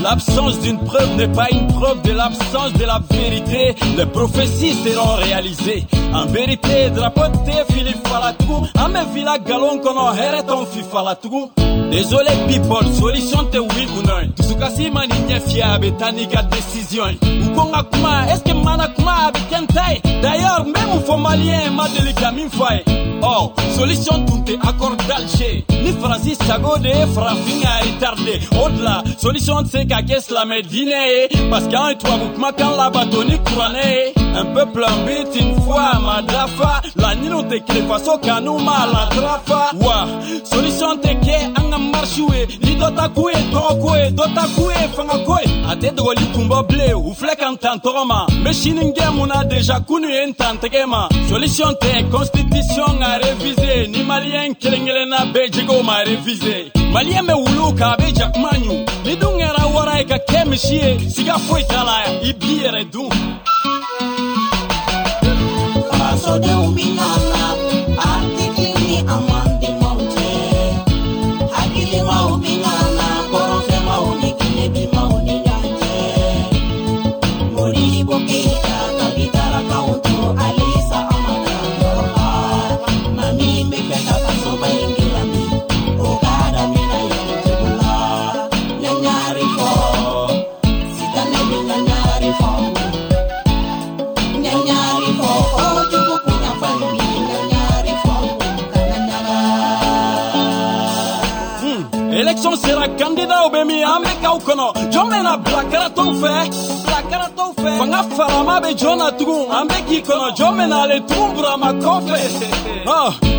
L'absence d'une preuve n'est pas une preuve de l'absence de la vérité. Les prophéties seront réalisées. En vérité, drapeau tɛ fili falatugu. An bɛ villa galon kɔnɔ, hɛrɛ t'anw fifalatugu. Désolé people, solution tɛ oui ou non ye. Dusukasi ma nin ɲɛ fiyɛ, a bɛ taa n'i ka décision ye. U ko n ka kuma, est-ce que mana kuma a bɛ kɛ n ta ye? D'ailleurs, n bɛ mun fɔ malien ma deli ka min fɔ a ye. Ɔ, solution tun tɛ accord d'Alger. Ni Faransi sago de ye farafin ka retardé. O de la, solution tɛ se ka kɛ silamɛ diinɛ ye. Parce que an ye tubabu kumakan labato ni kuranɛ ye. Un peuple, un but, une foi ma dafa. Laɲiniw tɛ kelen, faso kanu ma la trafa. Wa, solution tɛ kɛ an ka marche ye. Ni dɔ ta k'u ye tɔgɔko ye, dɔ ta k'u ye fangako ye. A tɛ dogoli kun bɔ bilen, u filɛ ka n tan tɔgɔ ma. N bɛ sini gɛn mun na déjà kunu ye n tan tɛgɛ ma. Solution tɛ constitution ka réviser. Ni malien kelen kelenna bɛɛ jɛgɛw ma réviser. Malien bɛ wulu kan, a bɛ jakuma ɲu. Ni dun kɛra wara ye ka kɛ misi ye, siga foyi t'a la, i b'i yɛrɛ dun. Fasodenw bi ɲɔgɔn na, article ni amendement cɛ. Hakilimaw bi ɲɔgɔn na, kɔrɔnfɛmaw ni tilebimaw ni ɲɔgɔn cɛ. Modibo Keita kabitara k'anw to halisa an ma taa yɔrɔ la. Maa min bɛ fɛ ka fasoba in dilan bi, o k'a daminɛ yen cogo la. Ɲaɲari fɔ, sitanɛ bi ɲaɲari fɔ. Aw bɛ min an bɛ k'aw kɔnɔ jɔn bɛna bila karatɔw fɛ bila karatɔw fɛ fanga farama bɛ jɔn na tugun an bɛ k'i kɔnɔ jɔn bɛna ale tugun Burama kɔfɛ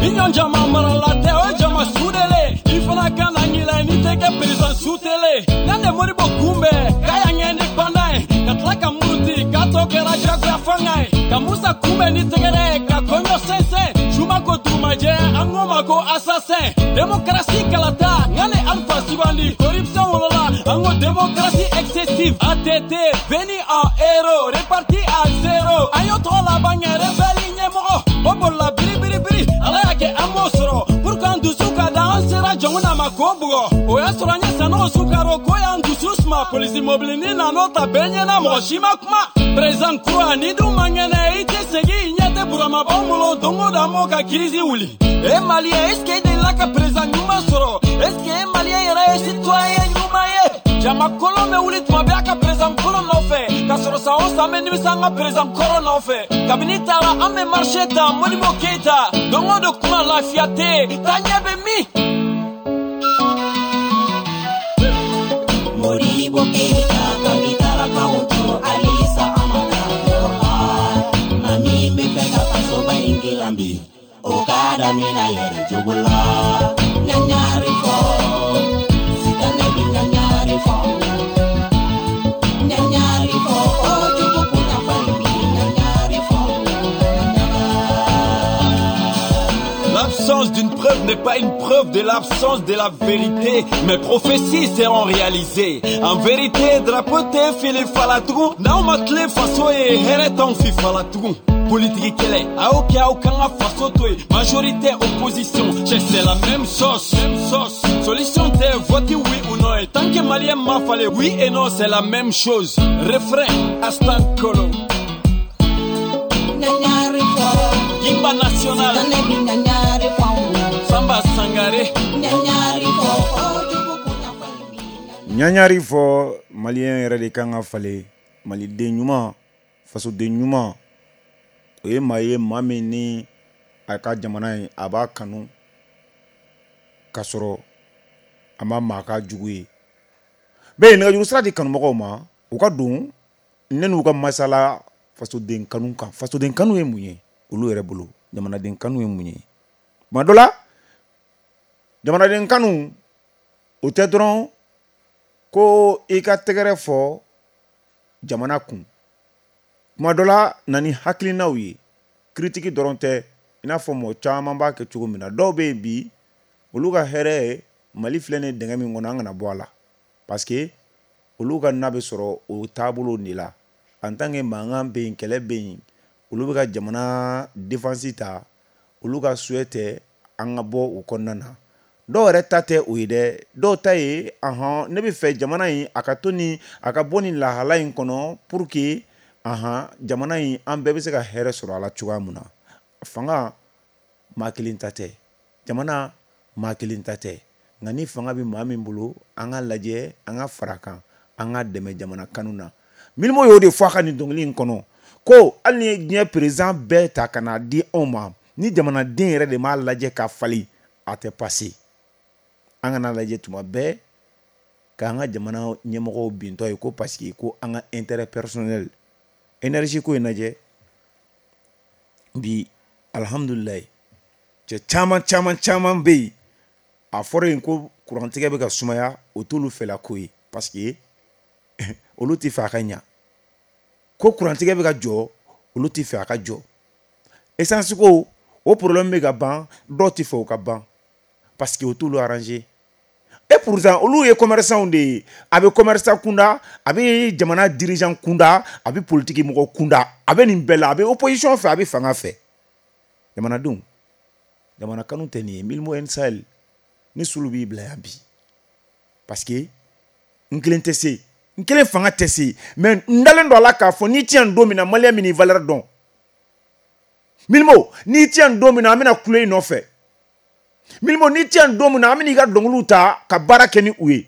i ɲɔn jama marala tɛ o ye jama sudelen i fana ka na ɲinɛ n'i tɛ kɛ président sutelen n'an de Modibo kunbɛn k'a y'an kɛ indépendant ye ka tila ka muruti k'a tɔ kɛra jagoya fanga ye ka Musa kunbɛn ni tɛgɛrɛ ye ka kɔɲɔ sɛnsɛn suma ko dugumajɛ an k'o ma ko assassin démocratie kalata nka ne Alpha sugandi corruption wolola an ko démocratie excessive A T T venu en héros reparti à zéro an y'o tɔgɔ laban kɛ rebelle ɲɛmɔgɔ o bolila biri biri biri ala y'a kɛ an m'o sɔrɔ pour qu'an dusu ka da an sera jɔnkuna ma k'o bugɔ o y'a sɔrɔ an ye Sanogo sukaro ko y'an dusu suma polisi mobilinin nan'o ta bɛɛ ɲɛna mɔgɔ si ma kuma président kura ni dun man kɛnɛ i tɛ segin i ɲɛ tɛ Burama b'anw bolo don o don an b'o ka crise wuli e malien est ce que e delila ka président ɲuman sɔrɔ est ce que e malien yɛrɛ ye citoyen ɲuman ye jama kolon bɛ wuli tuma bɛɛ a ka président kolon nɔfɛ k'a sɔrɔ san o san an bɛ nimisa an ka président kɔrɔ nɔfɛ kabini taara an bɛ marché ta Modibo Keita don o don kuma lafiya tɛ yen taa ɲɛ bɛ min. Modibo Keita kabi taara k'anw to halisa an ma taa yɔrɔ la maa min bɛ fɛ ka fasoba in dilan bi o k'a daminɛ yɛrɛ jogo la ɲaɲari fɔ sitanɛ bi ɲaɲari fɔ ɲaɲari fɔ o jogo kunnafa in bi ɲaɲari fɔ ɲaɲara. L'absence d'une preuve n'est pas une preuve de l'absence de la vérité. Mes prophéties seront réalisées. En vérité, drapeau tɛ fili fala tugun. N'aw ma tilen faso ye, hɛrɛ t'anw fi fala tugun. Politique kɛlɛ, a y'o kɛ aw kan ka faso to yen. Majorité, opposition, cɛ c'est la même sauce, même sauce. Solution tɛ vote oui ou non ye. Tant que malien ma falen, oui et non, c'est la même chose. Refrain, Astan Kolo. Ɲaɲari fɔ Gimba national, sitanɛ bi ɲaɲari fɔ Samba Sangare. ɲaɲari fɔ o jogo kunnafa in bi ɲaɲari fɔ malien yɛrɛ de kan ka falen maliden ɲuman fasoden ɲuman o ye maa ye maa min ni a ka jamana ye a b'a kanu k'a sɔrɔ a ma maa ka jugu ye bɛɛ nɛgɛjuru sira di kanumɔgɔw ma u ka don ne n'u ka masala fasoden kanu kan fasoden kanu ye mun ye olu yɛrɛ bolo jamanaden kanu ye mun ye tuma dɔ la jamanaden kanu o tɛ dɔrɔn ko i ka tɛgɛrɛ fɔ jamana kun tuma dɔ la na ni hakilinaw ye critique dɔrɔn tɛ i n'a fɔ mɔgɔ caman b'a kɛ cogo min na dɔw bɛ yen bi olu ka hɛrɛ ye Mali filɛ nin ye dingɛ min kɔnɔ an kana bɔ a la parce que olu ka na bɛ sɔrɔ o taabolo de la en tant que mankan bɛ yen kɛlɛ bɛ yen olu bɛ ka jamana défense ta olu ka souhait tɛ an ka bɔ o kɔnɔna na dɔw yɛrɛ ta tɛ o ye dɛ dɔw ta ye ahan ne bɛ fɛ jamana in a ka to ni a ka bɔ nin lahala in kɔnɔ pour que ahan jamana in an bɛɛ bɛ se ka hɛrɛ sɔrɔ a la cogoya min na fanga maa kelen ta tɛ jamana maa kelen ta tɛ nka ni fanga bɛ maa min bolo an ka lajɛ an ka fara kan an ka dɛmɛ jamana kanu na Milimo y'o de fɔ a ka nin dɔnkili in kɔnɔ ko hali ni ye diɲɛ président bɛɛ ta ka n'a di anw ma ni jamanaden yɛrɛ de m'a lajɛ ka falen a tɛ passer an kana lajɛ tuma bɛɛ k'an ka jamana ɲɛmɔgɔw bintɔ ye ko parce que ko an ka intérêt personnel énergie ko in lajɛ bi alihamudulilayi cɛ caman caman caman bɛ yen a fɔra yen ko kurantigɛ bɛ ka sumaya o t'olu fɛla ko ye parce que olu tɛ fɛ a ka ɲa ko kurantigɛ bɛ ka jɔ olu tɛ fɛ a ka jɔ essence ko o problème bɛ ka ban dɔw tɛ fɛ o ka ban parce que o t'olu arranger et pourtant olu ye commerçant de ye a bɛ commerçant kunda a bɛ jamana dirigeant kunda a bɛ politique mɔgɔ kunda a bɛ nin bɛɛ la a bɛ opposition fɛ a bɛ fanga fɛ jamanadenw jamana kanu tɛ nin ye Milimo N Sahel ni sulu b'i bila yan bi parce que n kelen tɛ se n kelen fanga tɛ se mais n dalen don a la k'a fɔ n'i ti yan don min na malien min n'i valeur dɔn Milimo n'i ti yan don min na an bɛna kule i nɔfɛ Milimo n'i ti yan don min na an bɛna i ka dɔnkiliw ta ka baara kɛ ni u ye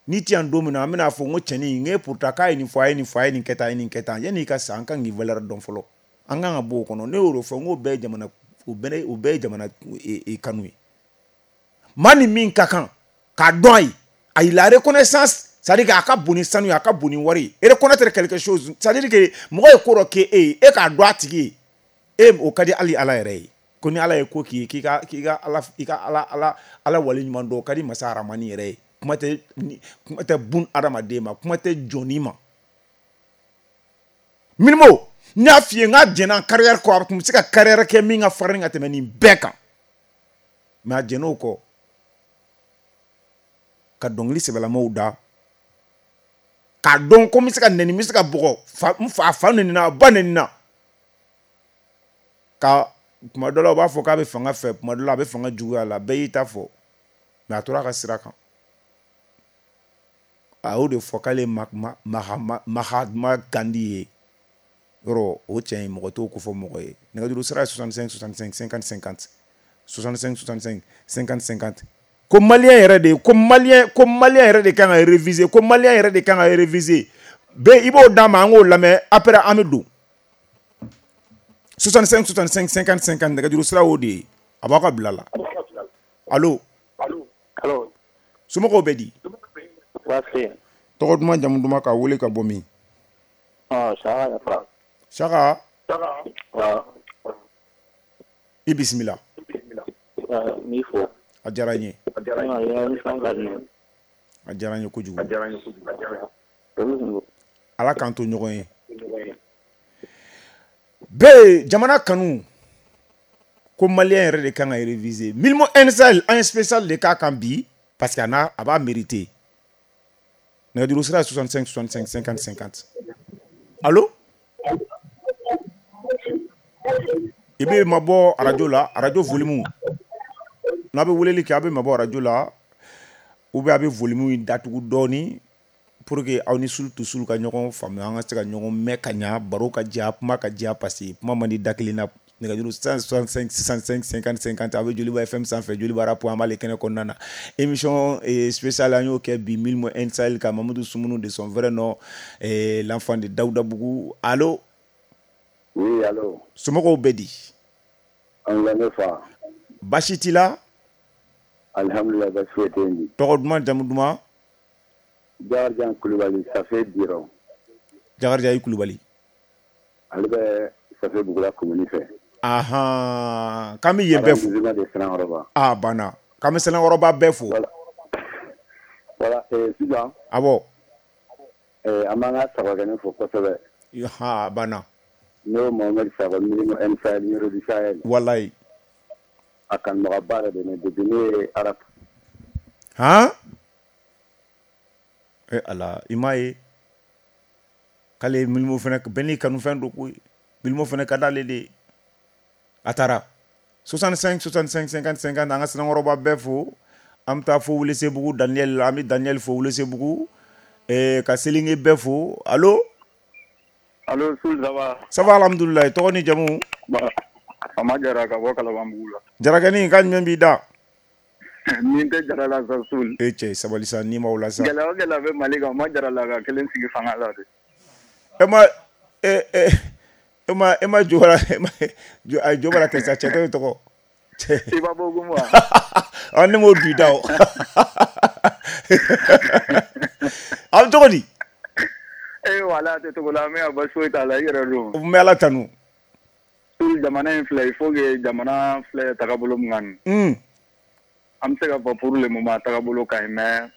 n'i ti yan don min na an bɛna fɔ n ko cɛnin n k'e pourtant k'a ye nin fɔ a ye nin fɔ a ye nin kɛ tan a ye nin kɛ tan yanni i ka sa an kan k'i valeur dɔn fɔlɔ an kan ka bɔ o kɔnɔ ne y'o de fɔ n k'o bɛɛ ye jamana o bɛɛ o bɛɛ ye jamana kanu ye maa ni min ka kan k'a dɔn a ye Ayi, la reconnaissance, c'est-à-dire k'a ka bon ni sanu ye, a ka bon ni wari ye. Reconnaître quelque chose, c'est-à-dire que mɔgɔ ye ko dɔ k'e ye, e k'a dɔn a tigi ye, e o ka di hali Ala yɛrɛ ye. Ko ni Ala ye ko k'i ye, k'i ka k'i ka Ala i ka Ala Ala Ala waleɲuman dɔn, o ka di masa Aramani yɛrɛ ye. Kuma tɛ kuma tɛ bun adamaden ma, kuma tɛ jɔnni ma. Milimo, n y'a f'i ye n k'a jɛnna carrière kɔ, a tun bɛ se ka carrière kɛ min ka farin ka tɛmɛ nin bɛɛ kan. Mais a jɛnn'o kɔ ka dɔnkili sɛbɛlamaw da, k'a dɔn ko n bɛ se ka nɛni, n bɛ se ka bugɔ, fa n fa a fa nɛnina, a ba nɛnina. Ka tuma dɔ la u b'a fɔ k'a bɛ fanga fɛ, tuma dɔ la a bɛ fanga juguya la, bɛɛ y'i ta fɔ. Mais a tora a ka sira kan. A y'o de fɔ k'ale ye Mahatma Gandhi ye. Yɔrɔ o cɛ in mɔgɔ t'o ko fɔ mɔgɔ ye. Nɛgɛjuru sira ye soixante-cinq soixante-cinq cinquante cinquante soixante-cinq soixante-cinq cinquante cinquante. Ko malien yɛrɛ de, ko malien ko malien yɛrɛ de kan ka réviser, ko malien yɛrɛ de kan ka réviser. Bɛɛ i b'o d'a ma, an k'o lamɛn, après an bɛ don. soixante-cinq soixante-cinq cinquante cinquante nɛgɛjuru sira y'o de ye. A b'aw ka bila la. Allo. Allo. Somɔgɔw bɛ di? Baasi. Tɔgɔ duman, jamu duman, k'a wele ka bɔ min? Ɔ, Saka Yafa. Saka. Wa. I bisimila. N b'i fo. A diyara n ye. A diyara n ye. A diyara n ye kojugu. A diyara n ye kojugu. Ala k'an to ɲɔgɔn ye. Bɛɛ jamana kanu ko malien yɛrɛ de kan ka réviser. Milimo N Sahel an ye spécial de k'a kan bi parce que a n'a a b'a mériter. Nɛgɛjuru sira ye soixante-cinq soixante-cinq cinquante cinquante. Allo. I bɛ mabɔ arajo la, arajo volume. N'a bɛ weleli kɛ, a bɛ mabɔ arajo la ou bien a bɛ volume in datugu dɔɔni pour que aw ni Sulu to Sulu ka ɲɔgɔn faamuya, an ka se ka ɲɔgɔn mɛn ka ɲa, baro ka diya, kuma ka diya, parce que kuma man di da kelen na. Nɛgɛjuru soixante-cinq soixante-cinq cinquante cinquante, a bɛ Joliba F M sanfɛ, Joliba Rap, an b'ale kɛnɛ kɔnɔna na. Émission spéciale an y'o kɛ bi Milimo N Sahel ka Mamadou Soumounu de son vrai nom, l'enfant de Daoudabougou. Allo. Oui, allo. Somɔgɔw bɛ di? An lamɛn fa. Baasi t'i la? Alhamdulillah, baasi foyi tɛ yen. Tɔgɔ duman, jamu duman? Jakarija Kulubali, Safe Biro. Jakarija i Kulubali. Ale bɛ Safe Bugula commune fɛ. Ahan, k'an bɛ yen bɛɛ fo. Ah, banna. K'an bɛ Sanankɔrɔba bɛɛ fo. Voilà, voilà, eh, sisan. Awɔ. Eh, an b'an ka sagakɛnɛ fo kosɛbɛ. Ha, banna. N'o Mohamed Sakɔ, Milimo N Sahel, Yoro du Sahel. Walayi. A kanubagaba yɛrɛ de ne depuis ne ye Arab. Han? Eh Ala, i m'a ye. K'ale Milimo fana bɛɛ n'i kanufɛn don koyi. Milimo fana ka d'ale de ye. A taara. soixante-cinq soixante-cinq cinquante cinquante, an ka Sanankɔrɔba bɛɛ fo. An bɛ taa fo Welesebugu Daniel, an bɛ Daniel fo Welesebugu. Eh, ka Selinge bɛɛ fo. Allo. Allo, Soul, ça va? Ça va, alhamdoulilah. Tɔgɔ ni jamu? Fama Jara ka bɔ Kalabanbugu la. Jarakɛnin, k'a jumɛn b'i da? Min tɛ Jara la sa, Soul. E cɛ, sabali sa, n'i m'aw la sa. Gɛlɛya o gɛlɛya bɛ Mali kan, o ma Jara la ka kelen sigi fanga la de. E ma e e e ma e ma Jobara, e ma ayi Jobara tɛ sa, cɛ dɔ ye tɔgɔ. I b'a bɔ ko wa? Ah, ne m'o du da o. A bɛ cogo di? Eh wala, a tɛ cogo la, mais a basi foyi t'a la, i yɛrɛ don. N bɛ Ala tanu. Jamana in filɛ, il faut que jamana filɛ tagabolo min kan nin. An bɛ se ka fɔ pour le moment tagabolo ka ɲi, mais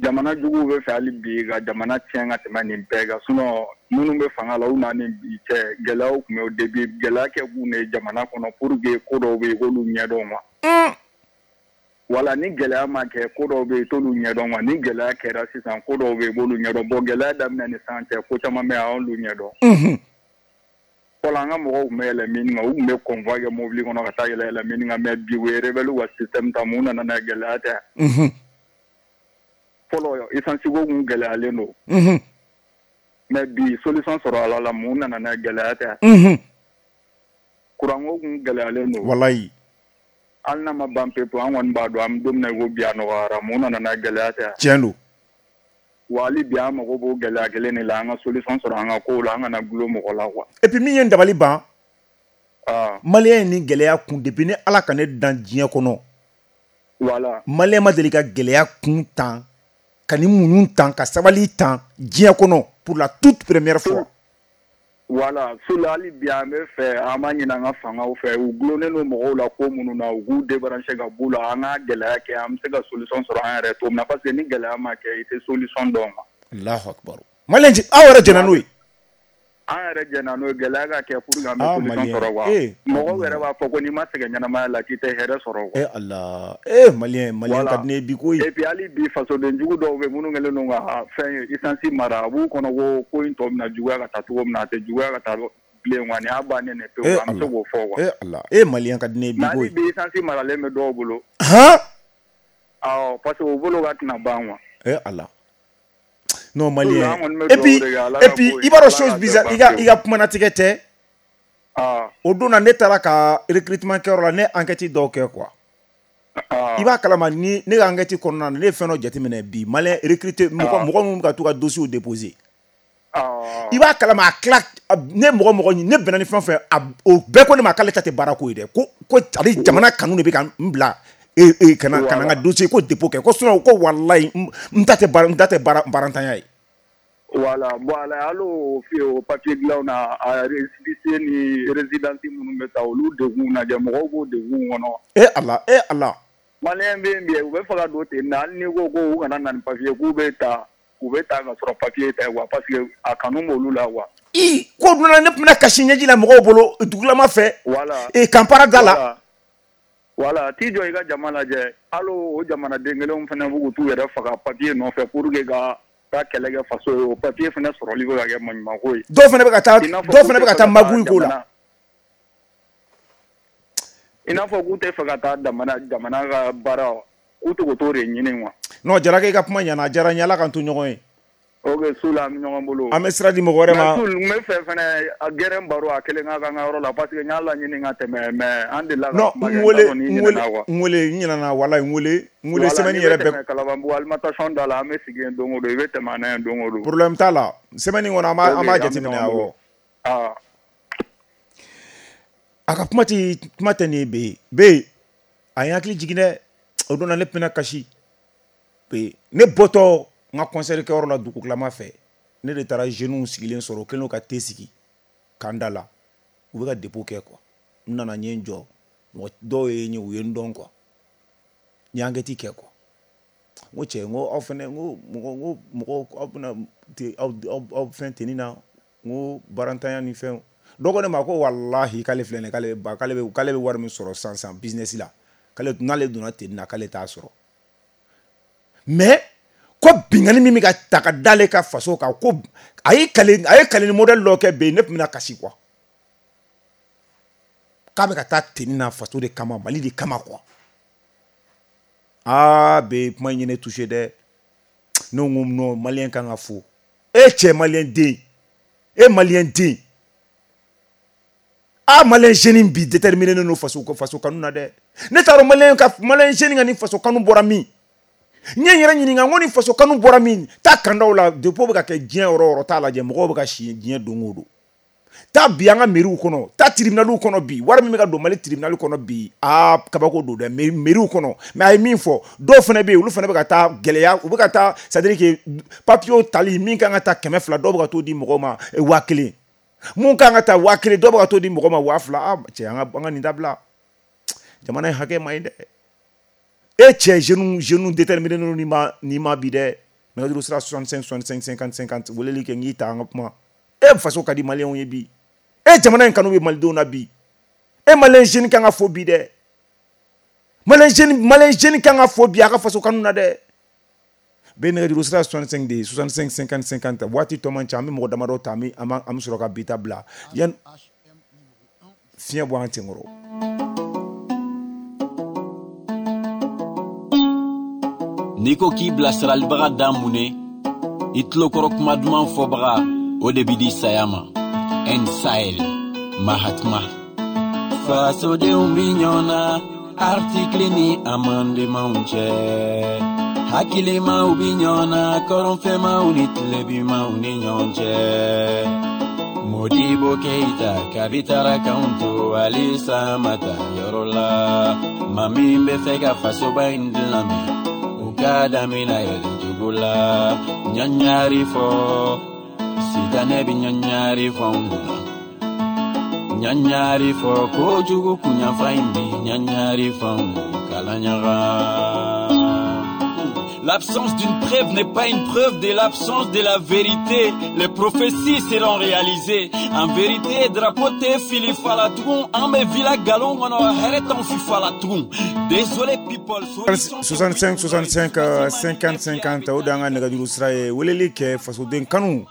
jamana juguw bɛ fɛ hali bi ka jamana tiɲɛ ka tɛmɛ nin bɛɛ kan. Sinon minnu bɛ fanga la, u n'a ni bi cɛ, gɛlɛyaw tun bɛ au début, gɛlɛya kɛ kun de ye jamana kɔnɔ pour que ko dɔw bɛ yen k'olu ɲɛdɔn quoi. Wala ni gɛlɛya ma kɛ, ko dɔw bɛ yen t'olu ɲɛdɔn quoi. Ni gɛlɛya kɛra sisan, ko dɔw bɛ yen k'olu ɲɛdɔn. Bon, gɛlɛya daminɛ ni sisan cɛ, ko caman bɛ yen an y'olu ɲɛdɔn. Fɔlɔ an ka mɔgɔw tun bɛ yɛlɛ min kan, u tun bɛ convoi kɛ mobili kɔnɔ ka taa yɛlɛ yɛlɛ min kan, mais bi u ye rebelle ka système ta, mun nana n'a ye, gɛlɛya tɛ. Fɔlɔ essence ko tun gɛlɛyalen don. Mais bi solution sɔrɔ a la, mun nana n'a ye, gɛlɛya tɛ. Courant ko tun gɛlɛyalen don. Walayi. Hali n'a ma ban pewu, an kɔni b'a dɔn an bɛ don min na i ko bi a nɔgɔyara, mun nana n'a ye, gɛlɛya tɛ. Tiɲɛ don. Wa hali bi an mago b'o gɛlɛya kelen de la, an ka solution sɔrɔ an ka kow la, an kana gulon mɔgɔ la quoi. Et puis min ye n dabali ban, malien ye nin gɛlɛya kun depuis ni Ala ka ne dan diɲɛ kɔnɔ. Voilà. Malien ma deli ka gɛlɛya kun tan ka ni muɲu tan ka sabali tan diɲɛ kɔnɔ pour la toute première fois. Voilà, Soul hali bi an bɛ fɛ an b'a ɲini an ka fangaw fɛ u gulonnen don mɔgɔw la ko minnu na u k'u débrancher ka b'u la an ka gɛlɛya kɛ an bɛ se ka solution sɔrɔ an yɛrɛ cogo min na parce que ni gɛlɛya ma kɛ i tɛ solution dɔn ma. Allahu akbar. Malien aw yɛrɛ jɛnna n'o ye. An yɛrɛ jɛnna n'o ye gɛlɛya ka kɛ pour que an bɛ solution sɔrɔ quoi. Mɔgɔw yɛrɛ b'a fɔ ko n'i ma sɛgɛn ɲɛnamaya la k'i tɛ hɛrɛ sɔrɔ quoi. Eh Allah, eh Malien Malien ka di ne ye bi koyi. Et puis hali bi fasoden jugu dɔw bɛ minnu kɛlen don ka fɛn essence mara a b'u kɔnɔ ko ko in tɔ bɛna juguya ka taa cogo min na a tɛ juguya ka taa bilen quoi nin y'a bannen de pewu an bɛ se k'o fɔ quoi. Eh Allah, eh Malien ka di ne ye bi koyi. Hali bi essence maralen bɛ dɔw bolo. Han? Awɔ parce que u bolo ka tɛna ban quoi. Eh Allah. Non Malien. Et puis et puis i b'a dɔn chose bizarre i ka i ka kumanatigɛ tɛ. Ah. O don na ne taara ka recrutement kɛyɔrɔ la ne enquête dɔw kɛ quoi. Ah. I b'a kalama ni ne ka enquête kɔnɔna na ne ye fɛn dɔ jateminɛ bi Malien recruter mɔgɔ mɔgɔ minnu bɛ ka t'u ka dossier déposer. Ah. I b'a kalama a tila ne mɔgɔ mɔgɔ ne bɛnna ni fɛn fɛn a o bɛɛ ko ne ma k'ale ta tɛ baara ko ye dɛ ko ko ale jamana kanu de bɛ ka n bila. E e kana kana n ka dossier ko dépôt kɛ ko sinon ko walayi n ta tɛ baara n ta tɛ baara baarantanya ye. Voilà, voilà hali o o papier dilanw na a récépissé ni résidence minnu bɛ taa olu degun lajɛ mɔgɔw b'o degun kɔnɔ. E Ala e Ala. Malien bɛ yen bi u bɛ fɛ ka don ten na hali n'i ko ko u kana na ni papier k'u bɛ taa u bɛ taa ka sɔrɔ papier tɛ quoi parce que a kanu b'olu la quoi. I ko dun na ne tun bɛna kasi ɲɛji la mɔgɔw bolo dugulama fɛ. Voilà. E kanpara da la. Voilà, t'i jɔ i ka jama lajɛ hali o jamanaden kelenw fana b'u k'u t'u yɛrɛ faga papier nɔfɛ pour que ka taa kɛlɛ kɛ faso ye o papier fana sɔrɔli bɛ ka kɛ maɲumanko ye. Dɔw fana bɛ ka taa dɔw fana bɛ ka taa magouille ko la. I n'a fɔ k'u tɛ fɛ ka taa jamana jamana ka baara k'u tɛ k'o t'o de ɲini quoi. Non Jalakɛ i ka kuma ɲɛna a diyara n ye Ala k'an to ɲɔgɔn ye. Ok Soul an bɛ ɲɔgɔn bolo. An bɛ sira di mɔgɔ wɛrɛ ma. Mais Soul n bɛ fɛ fana a gɛrɛn baro a kelen ka k'an ka yɔrɔ la parce que n y'a laɲini ka tɛmɛ mais an delila ka kuma kɛ n wele n wele n wele n ɲinɛna walayi n wele n wele semaine yɛrɛ bɛɛ. Kalabanbugu alimentation da la an bɛ sigi yen don o don i bɛ tɛmɛ an na yen don o don. Problème t'a la semaine in kɔnɔ an b'a an b'a jateminɛ awɔ. Ah. A ka kuma ti kuma tɛ nin ye be be a ye hakili jigin dɛ o don na ne tun bɛna kasi be ne bɔtɔ n ka concert kɛyɔrɔ la dugutilama fɛ ne de taara jeunes sigilen sɔrɔ u kɛlen don ka te sigi kan da la u bɛ ka dépôt kɛ quoi n nana n ye n jɔ mɔgɔ dɔw ye n ye u ye n dɔn quoi n ye enquête kɛ quoi n ko cɛ n ko aw fɛnɛ n ko mɔgɔ n ko mɔgɔ aw bɛna te aw aw aw fɛn tenni na n ko baarantanya ni fɛnw dɔ ko ne ma ko walahi k'ale filɛ nin ye k'ale ba k'ale bɛ k'ale bɛ wari min sɔrɔ sisan sisan business la k'ale n'ale donna tenni na k'ale t'a sɔrɔ mais ko binkanni min bɛ ka ta ka d'ale ka faso kan ko a ye kale a ye kale ni modèle dɔ kɛ bɛ ne tun bɛna kasi quoi k'a bɛ ka taa tenni na faso de kama Mali de kama quoi aa bɛ kuma in ye ne touché dɛ ne ko non Malien kan ka fo e cɛ Malien den e Malien den ah Malien jeune bi déterminé don faso faso kanu na dɛ ne t'a dɔn Malien ka Malien jeune ka ni faso kanu bɔra min. N ye n yɛrɛ ɲininka n ko ni faso kanu bɔra min taa kandaw la dépôt bɛ ka kɛ diɲɛ yɔrɔ o yɔrɔ t'a lajɛ mɔgɔw bɛ ka si diɲɛ don o don taa bi an ka mairie kɔnɔ taa tribunal kɔnɔ bi wari min bɛ ka don Mali tribunal kɔnɔ bi aa kabako don dɛ mairie kɔnɔ mais a ye min fɔ dɔw fana bɛ yen olu fana bɛ ka taa gɛlɛya u bɛ ka taa c'est à dire que papier tali min kan ka taa kɛmɛ fila dɔw bɛ ka t'o di mɔgɔw ma waa kelen mun kan ka taa waa kelen dɔw bɛ ka t'o di mɔgɔw ma waa fila aa cɛ an ka an ka nin dabila jamana in hakɛ ma ɲi dɛ. E cɛ jeune jeune déterminé ni ma ni ma bi dɛ nɛgɛjuru sira soixante-cinq soixante-cinq cinquante cinquante weleli kɛ n k'i ta an ka kuma e faso ka di maliyɛnw ye bi e jamana in kanu bɛ malidenw na bi e malien jeune kan ka fo bi dɛ malien jeune malien jeune kan ka fo bi a ka faso kanu na dɛ bɛ nɛgɛjuru sira soixante-cinq de soixante-cinq cinquante cinquante waati tɔ man ca an bɛ mɔgɔ damadɔ ta an bɛ an bɛ sɔrɔ ka bi ta bila yan fiɲɛ bɔ an senkɔrɔ. N'i ko k'i bilasiralibaga da mun ye i tulokɔrɔ kuma duman fɔbaga o de b'i di saya ma N Sahel Mahatma fasodenw bi ɲɔgɔn na article ni amendement cɛ hakilimaw bi ɲɔgɔn na kɔrɔnfɛmaw ni tilebimaw ni ɲɔgɔn cɛ. Modibo Keita kabitara kanto alisa mata yɔrɔ la maa min bɛ fɛ ka fasoba in dilan bi u ka damina yɛlɛ cogo la ɲaɲari fɔ sitanɛ bɛ ɲaɲari fɔ anw kunna ɲaɲari fɔ kojugu kunyanfa in bi ɲaɲari fɔ anw kala ɲaga. L'absence d'une preuve n'est pas une preuve de l'absence de la vérité. Les prophéties seront réalisées. En vérité, drapeau te fili fala tugun. An bɛ villa galon kɔnɔ, hɛrɛ t'anw fi fala tugun. Désolé people. soixante-cinq soixante-cinq cinquante cinquante o de y'an ka nɛgɛjuru sira ye. Weleli kɛ fasoden kanu.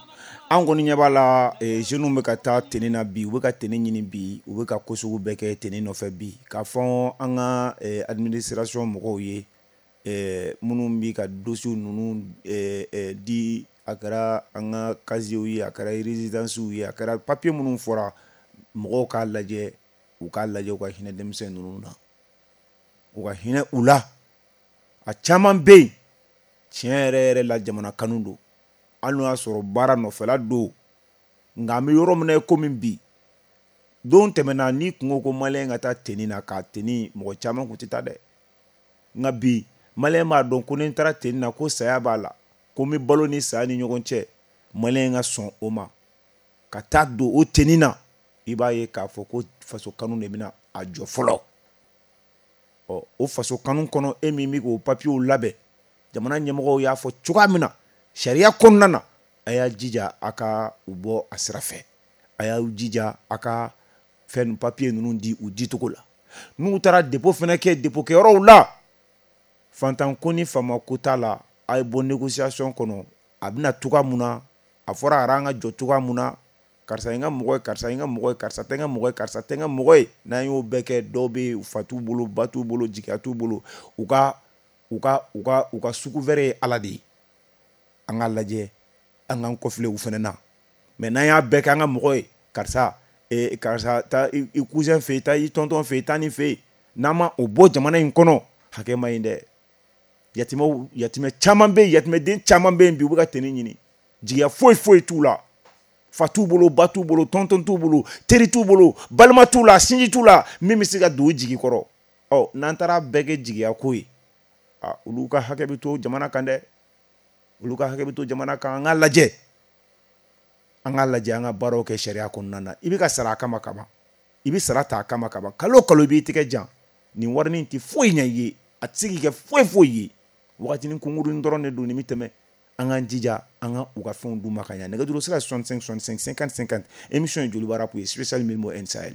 An kɔni ɲɛ b'a la jeunes bɛ ka taa tenue na bi, u bɛ ka tenue ɲini bi, u bɛ ka ko sugu bɛɛ kɛ tenue nɔfɛ bi. K'a fɔ an ka administration mɔgɔw ye, minnu bɛ ka dossiers ninnu di, a kɛra an ka casiers ye, a kɛra résidences ye, a kɛra papier minnu fɔra, mɔgɔw k'a lajɛ, u k'a lajɛ u ka hinɛ denmisɛn ninnu na, u ka hinɛ u la. A caman bɛ yen tiɲɛ yɛrɛ yɛrɛ la jamana kanu don, hali n'o y'a sɔrɔ baara nɔfɛla don, nka an bɛ yɔrɔ min na i komi bi, don tɛmɛna n'i kun ko ko maliyɛn ka taa tenue na k'a tenue, mɔgɔ caman kun tɛ taa dɛ. Nka bi maliyɛn b'a dɔn ko ni n taara tenue na ko saya b'a la, ko n bɛ balo ni saya ni ɲɔgɔn cɛ, maliyɛn ka sɔn o ma ka taa don o tenue na. I b'a ye k'a fɔ ko faso kanu de bɛna a jɔ fɔlɔ. Ɔ o faso kanu kɔnɔ, e min bɛ k'o papiyew labɛn, jamana ɲɛmɔgɔw y'a fɔ cogoya min na sariya kɔnɔna na, a y'a jija a ka u bɔ a sira fɛ, a y'aw jija a ka fɛn papiye ninnu di u dicogo la. N'u taara dépôt fana kɛ dépôt kɛyɔrɔw la, fantan ko ni faama ko t'a la, a ye bɔ négociation kɔnɔ. A bɛna cogoya mun na, a fɔra a an ka jɔ cogoya mun na, karisa ye n ka mɔgɔ ye, karisa ye n ka mɔgɔ ye, karisa tɛ n ka mɔgɔ ye, karisa tɛ n ka mɔgɔ ye. N'an y'o bɛɛ kɛ, dɔw bɛ yen fa t'u bolo, ba t'u bolo, jigiya t'u bolo, u ka u ka u ka u ka sugu wɛrɛ ye Ala de ye. An k'a lajɛ, an k'an kɔfilɛ u fana na. Mais n'an y'a bɛɛ kɛ an ka mɔgɔ ye, karisa eh, karisa taa i cousin fɛ yen, taa i tonton fɛ yen, taa nin fɛ yen, n'an ma o bɔ jamana in kɔnɔ, hakɛ ma ɲi dɛ. Yatimɛw, yatimɛ caman bɛ yen, yatimɛden caman bɛ yen bi, u bɛ ka tenue ɲini, jigiya foyi foyi t'u la, fa t'u bolo, ba t'u bolo, tonton t'u bolo, teri t'u bolo, balima t'u la, sinji t'u la, min bɛ se ka don u jigi kɔrɔ. Ɔ n'an taara bɛɛ kɛ jigiya ko ye, a olu ka hakɛ bɛ to jamana kan dɛ, olu ka hakɛ bɛ to jamana kan. An k'a lajɛ, an k'a lajɛ, an ka baaraw kɛ sariya kɔnɔna na. I bɛ ka sara a kama kaban, i bɛ sara ta a kama kaban, kalo o kalo i b'i tɛgɛ jan, nin warinin tɛ foyi ɲɛ i ye, a tɛ se k'i kɛ foyi foyi ye. Wagatinin kunkurunin dɔrɔn de don, nin bɛ tɛmɛ. An k'an jija an ka u ka fɛnw d'u ma ka ɲɛ. Nɛgɛjuru sira soixante-cinq soixante-cinq cinquante cinquante. Émission ye Joliba Rap ye, spécial Mylmo N Sahel.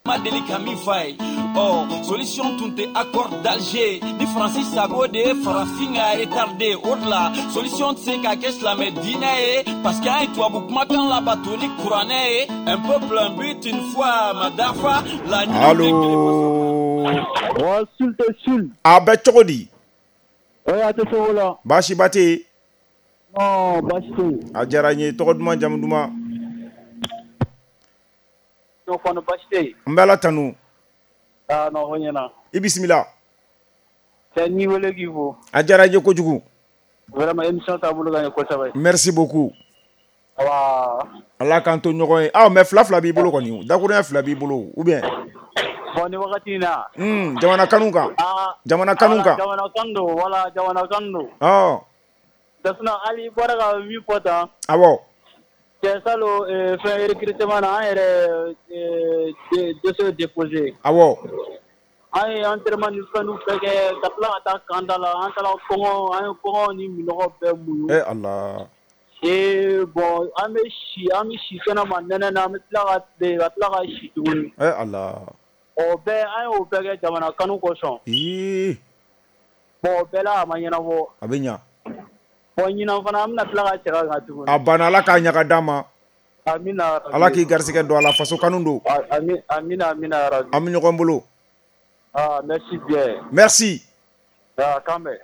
Ma deli ka min f'a ye, ɔ solution tun tɛ accord d'Alger ni Faransi sago de ye farafin ka retardé. O de la solution tɛ se ka kɛ silamɛ diinɛ ye, parce que an ye tubabu kumakan labato ni kuranɛ ye. Un peuple, un but, une foi, ma dafa la. Allo. Wa sul tɛ sul. A bɛ cogo di? Oye, a tɛ se o la. Baasiba tɛ yen. Non, baasi tɛ yen. A diyara n ye. Tɔgɔ duman, jamu duman? Non, kɔni baasi tɛ yen. N bɛ Ala tanu. Ah non, o ɲɛna. I bisimila. Cɛ, n y'i wele k'i fo. A diyara n ye kojugu. Vraiment, émission taabolo ka ɲi kosɛbɛ. Merci beaucoup. Awa. Ala k'an to ɲɔgɔn ye. Ah mais fila fila b'i bolo kɔni, dakurunya fila b'i bolo ou bien? Bon, ni wagati in na. Un, jamana kanu kan. Ah, jamana kanu kan. Jamana kanu don, wala jamana kanu don. Ɔ. Sinon hali i bɔra ka min fɔ tan. Awɔ. Cɛ salon fɛn recrutement na, an yɛrɛ dossier déposé. Awɔ. An ye entraînement ni fɛn bɛɛ kɛ ka tila ka taa camp da la, an taara kɔngɔ, an ye kɔngɔ ni minɔgɔ bɛɛ muɲu. Eh Ala. Et bon, an bɛ si, an bɛ si kɛnɛma nɛnɛ na, an bɛ tila ka tile, ka tila ka si tuguni. Eh Ala. O bɛɛ, an y'o bɛɛ kɛ jamana kanu kosɔn. Ii. Bon, o bɛɛ la a ma ɲɛnabɔ. A bɛ ɲa. Bon, ɲinan fana an bɛna tila ka segin a kan tuguni. A banna, Ala k'a ɲaga d'an ma. Amina. Ala k'i garisɛgɛ don a la, faso kanu don. Amina, amina yarabi. An bɛ ɲɔgɔn bolo. Ah, merci bien. Merci. Ah, k'an bɛn.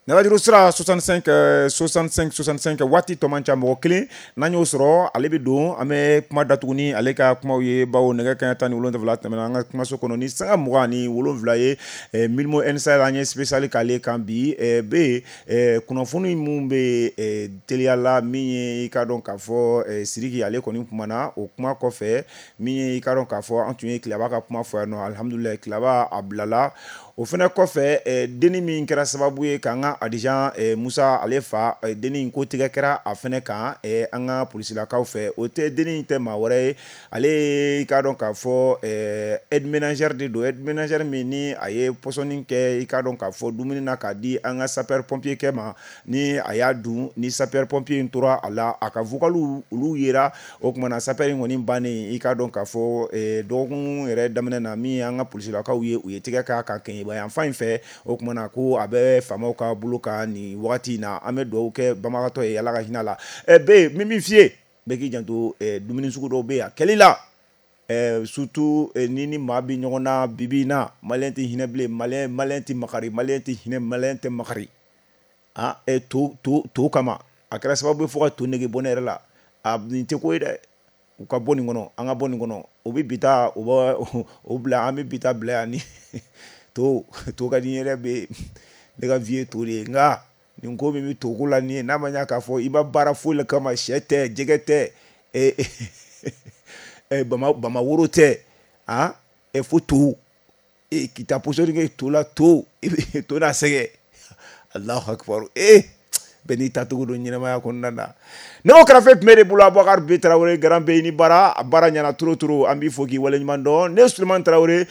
Nɛgɛjuru sira soixante-cinq soixante-cinq soixante-cinq waati tɔ man ca mɔgɔ kelen n'an y'o sɔrɔ ale bɛ don an bɛ kuma datugu ni ale ka kumaw ye bawo nɛgɛ kanɲɛ tan ni wolonwula tɛmɛna an ka kumaso kɔnɔ ni sanga mugan ni wolonwula ye Milmo N S A an ye spécial k'ale kan bi bɛ kunnafoni mun bɛ teliya la min ye i ka dɔn k'a fɔ Sidiki ale kɔni kumana o kuma kɔfɛ min ye i ka dɔn k'a fɔ an tun ye Tilaba ka kuma fɔ yan nɔ alihamudulilayi Tilaba a bilala o fana kɔfɛ denni min kɛra sababu ye k'an ka Adijan Musa ale fa denni ko tigɛ kɛra a fana kan an ka polisilakaw fɛ o tɛ denni tɛ maa wɛrɛ ye ale i k'a dɔn k'a fɔ aide ménagère de don aide ménagère min ni a ye pɔsɔni kɛ i k'a dɔn k'a fɔ dumuni na k'a di an ka sapeur pompier kɛ ma ni a y'a dun ni sapeur pompier in tora a la a ka vocaliw olu yera o tuma na sapeur in kɔni bannen i k'a dɔn k'a fɔ dɔgɔkun yɛrɛ daminɛ na min an ka polisilakaw ye u ye tigɛ k'a kan kɛɲɛba yan fan in fɛ o tuma na ko a bɛ faamaw ka bolo kan nin wagati in na an bɛ dugawu kɛ banbagatɔ ye Ala ka hinɛ la ɛ bɛ min min f'i ye bɛɛ k'i janto dumuni sugu dɔw bɛ yen a kɛli la surtout ni ni maa bɛ ɲɔgɔn na bi bi in na maliyɛn tɛ hinɛ bilen maliyɛn maliyɛn tɛ makari maliyɛn tɛ hinɛ maliyɛn tɛ makari ah to to to kama a kɛra sababu ye fo ka to nege bɔ ne yɛrɛ la a nin tɛ ko ye dɛ u ka bɔ nin kɔnɔ an ka bɔ nin kɔnɔ o bɛ bi taa o bɛ o bila an bɛ bi taa bila yan ni to to ka di n yɛrɛ bɛ ne ka vie ye to de ye nka nin ko min bɛ to ko la nin ye n'a ma ɲɛ k'a fɔ i ma baara foyi la kama sɛ tɛ jɛgɛ tɛ ɛ bama bama woro tɛ ah ɛ fo to e k'i taa pɔsɔni kɛ to la to i bɛ to n'a sɛgɛ Alahu akibaru ee bɛɛ n'i tacogo don ɲɛnamaya kɔnɔna na nɛgɛw kɛrɛfɛ tun bɛ de bolo Abubakar B Tarawele Garan bɛ ni baara a baara ɲɛna trop trop an b'i fo k'i waleɲuman dɔn ne Sulemani Tarawele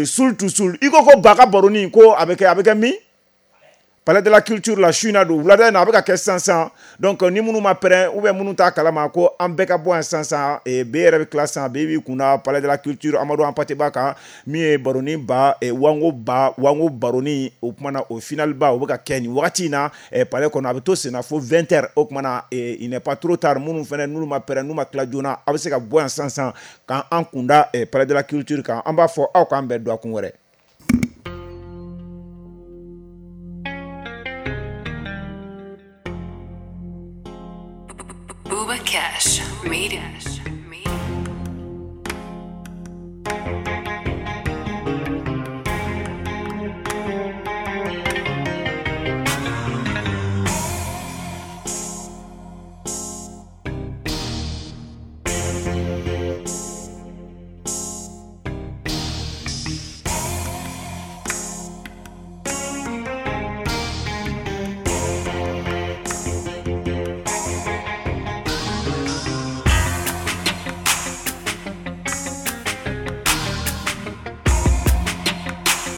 sul to sul i ko ko ba ka baroni ko a bɛ kɛ a bɛ kɛ min Palais de la culture la su in na don wulada in na a bɛ ka kɛ sisan sisan donc ni minnu ma pɛrɛn ou bien minnu t'a kalama ko an bɛɛ ka bɔ yan sisan sisan B yɛrɛ bɛ tila sisan B b'i kunna Palais de la culture Amadu Hampâté Bâ kan min ye baroni ba wango ba wango baroni o kuma na o final ba o bɛ ka kɛ nin wagati in na palais kɔnɔ a bɛ to sen na fo vingt heures o kuma na il n'est pas trop tard minnu fɛnɛ n'olu ma pɛrɛn n'u ma tila joona a bɛ se ka bɔ yan sisan sisan k'an kunda Palais de la culture kan an b'a fɔ aw k'an bɛn dɔgɔkun wɛrɛ. Cash made it.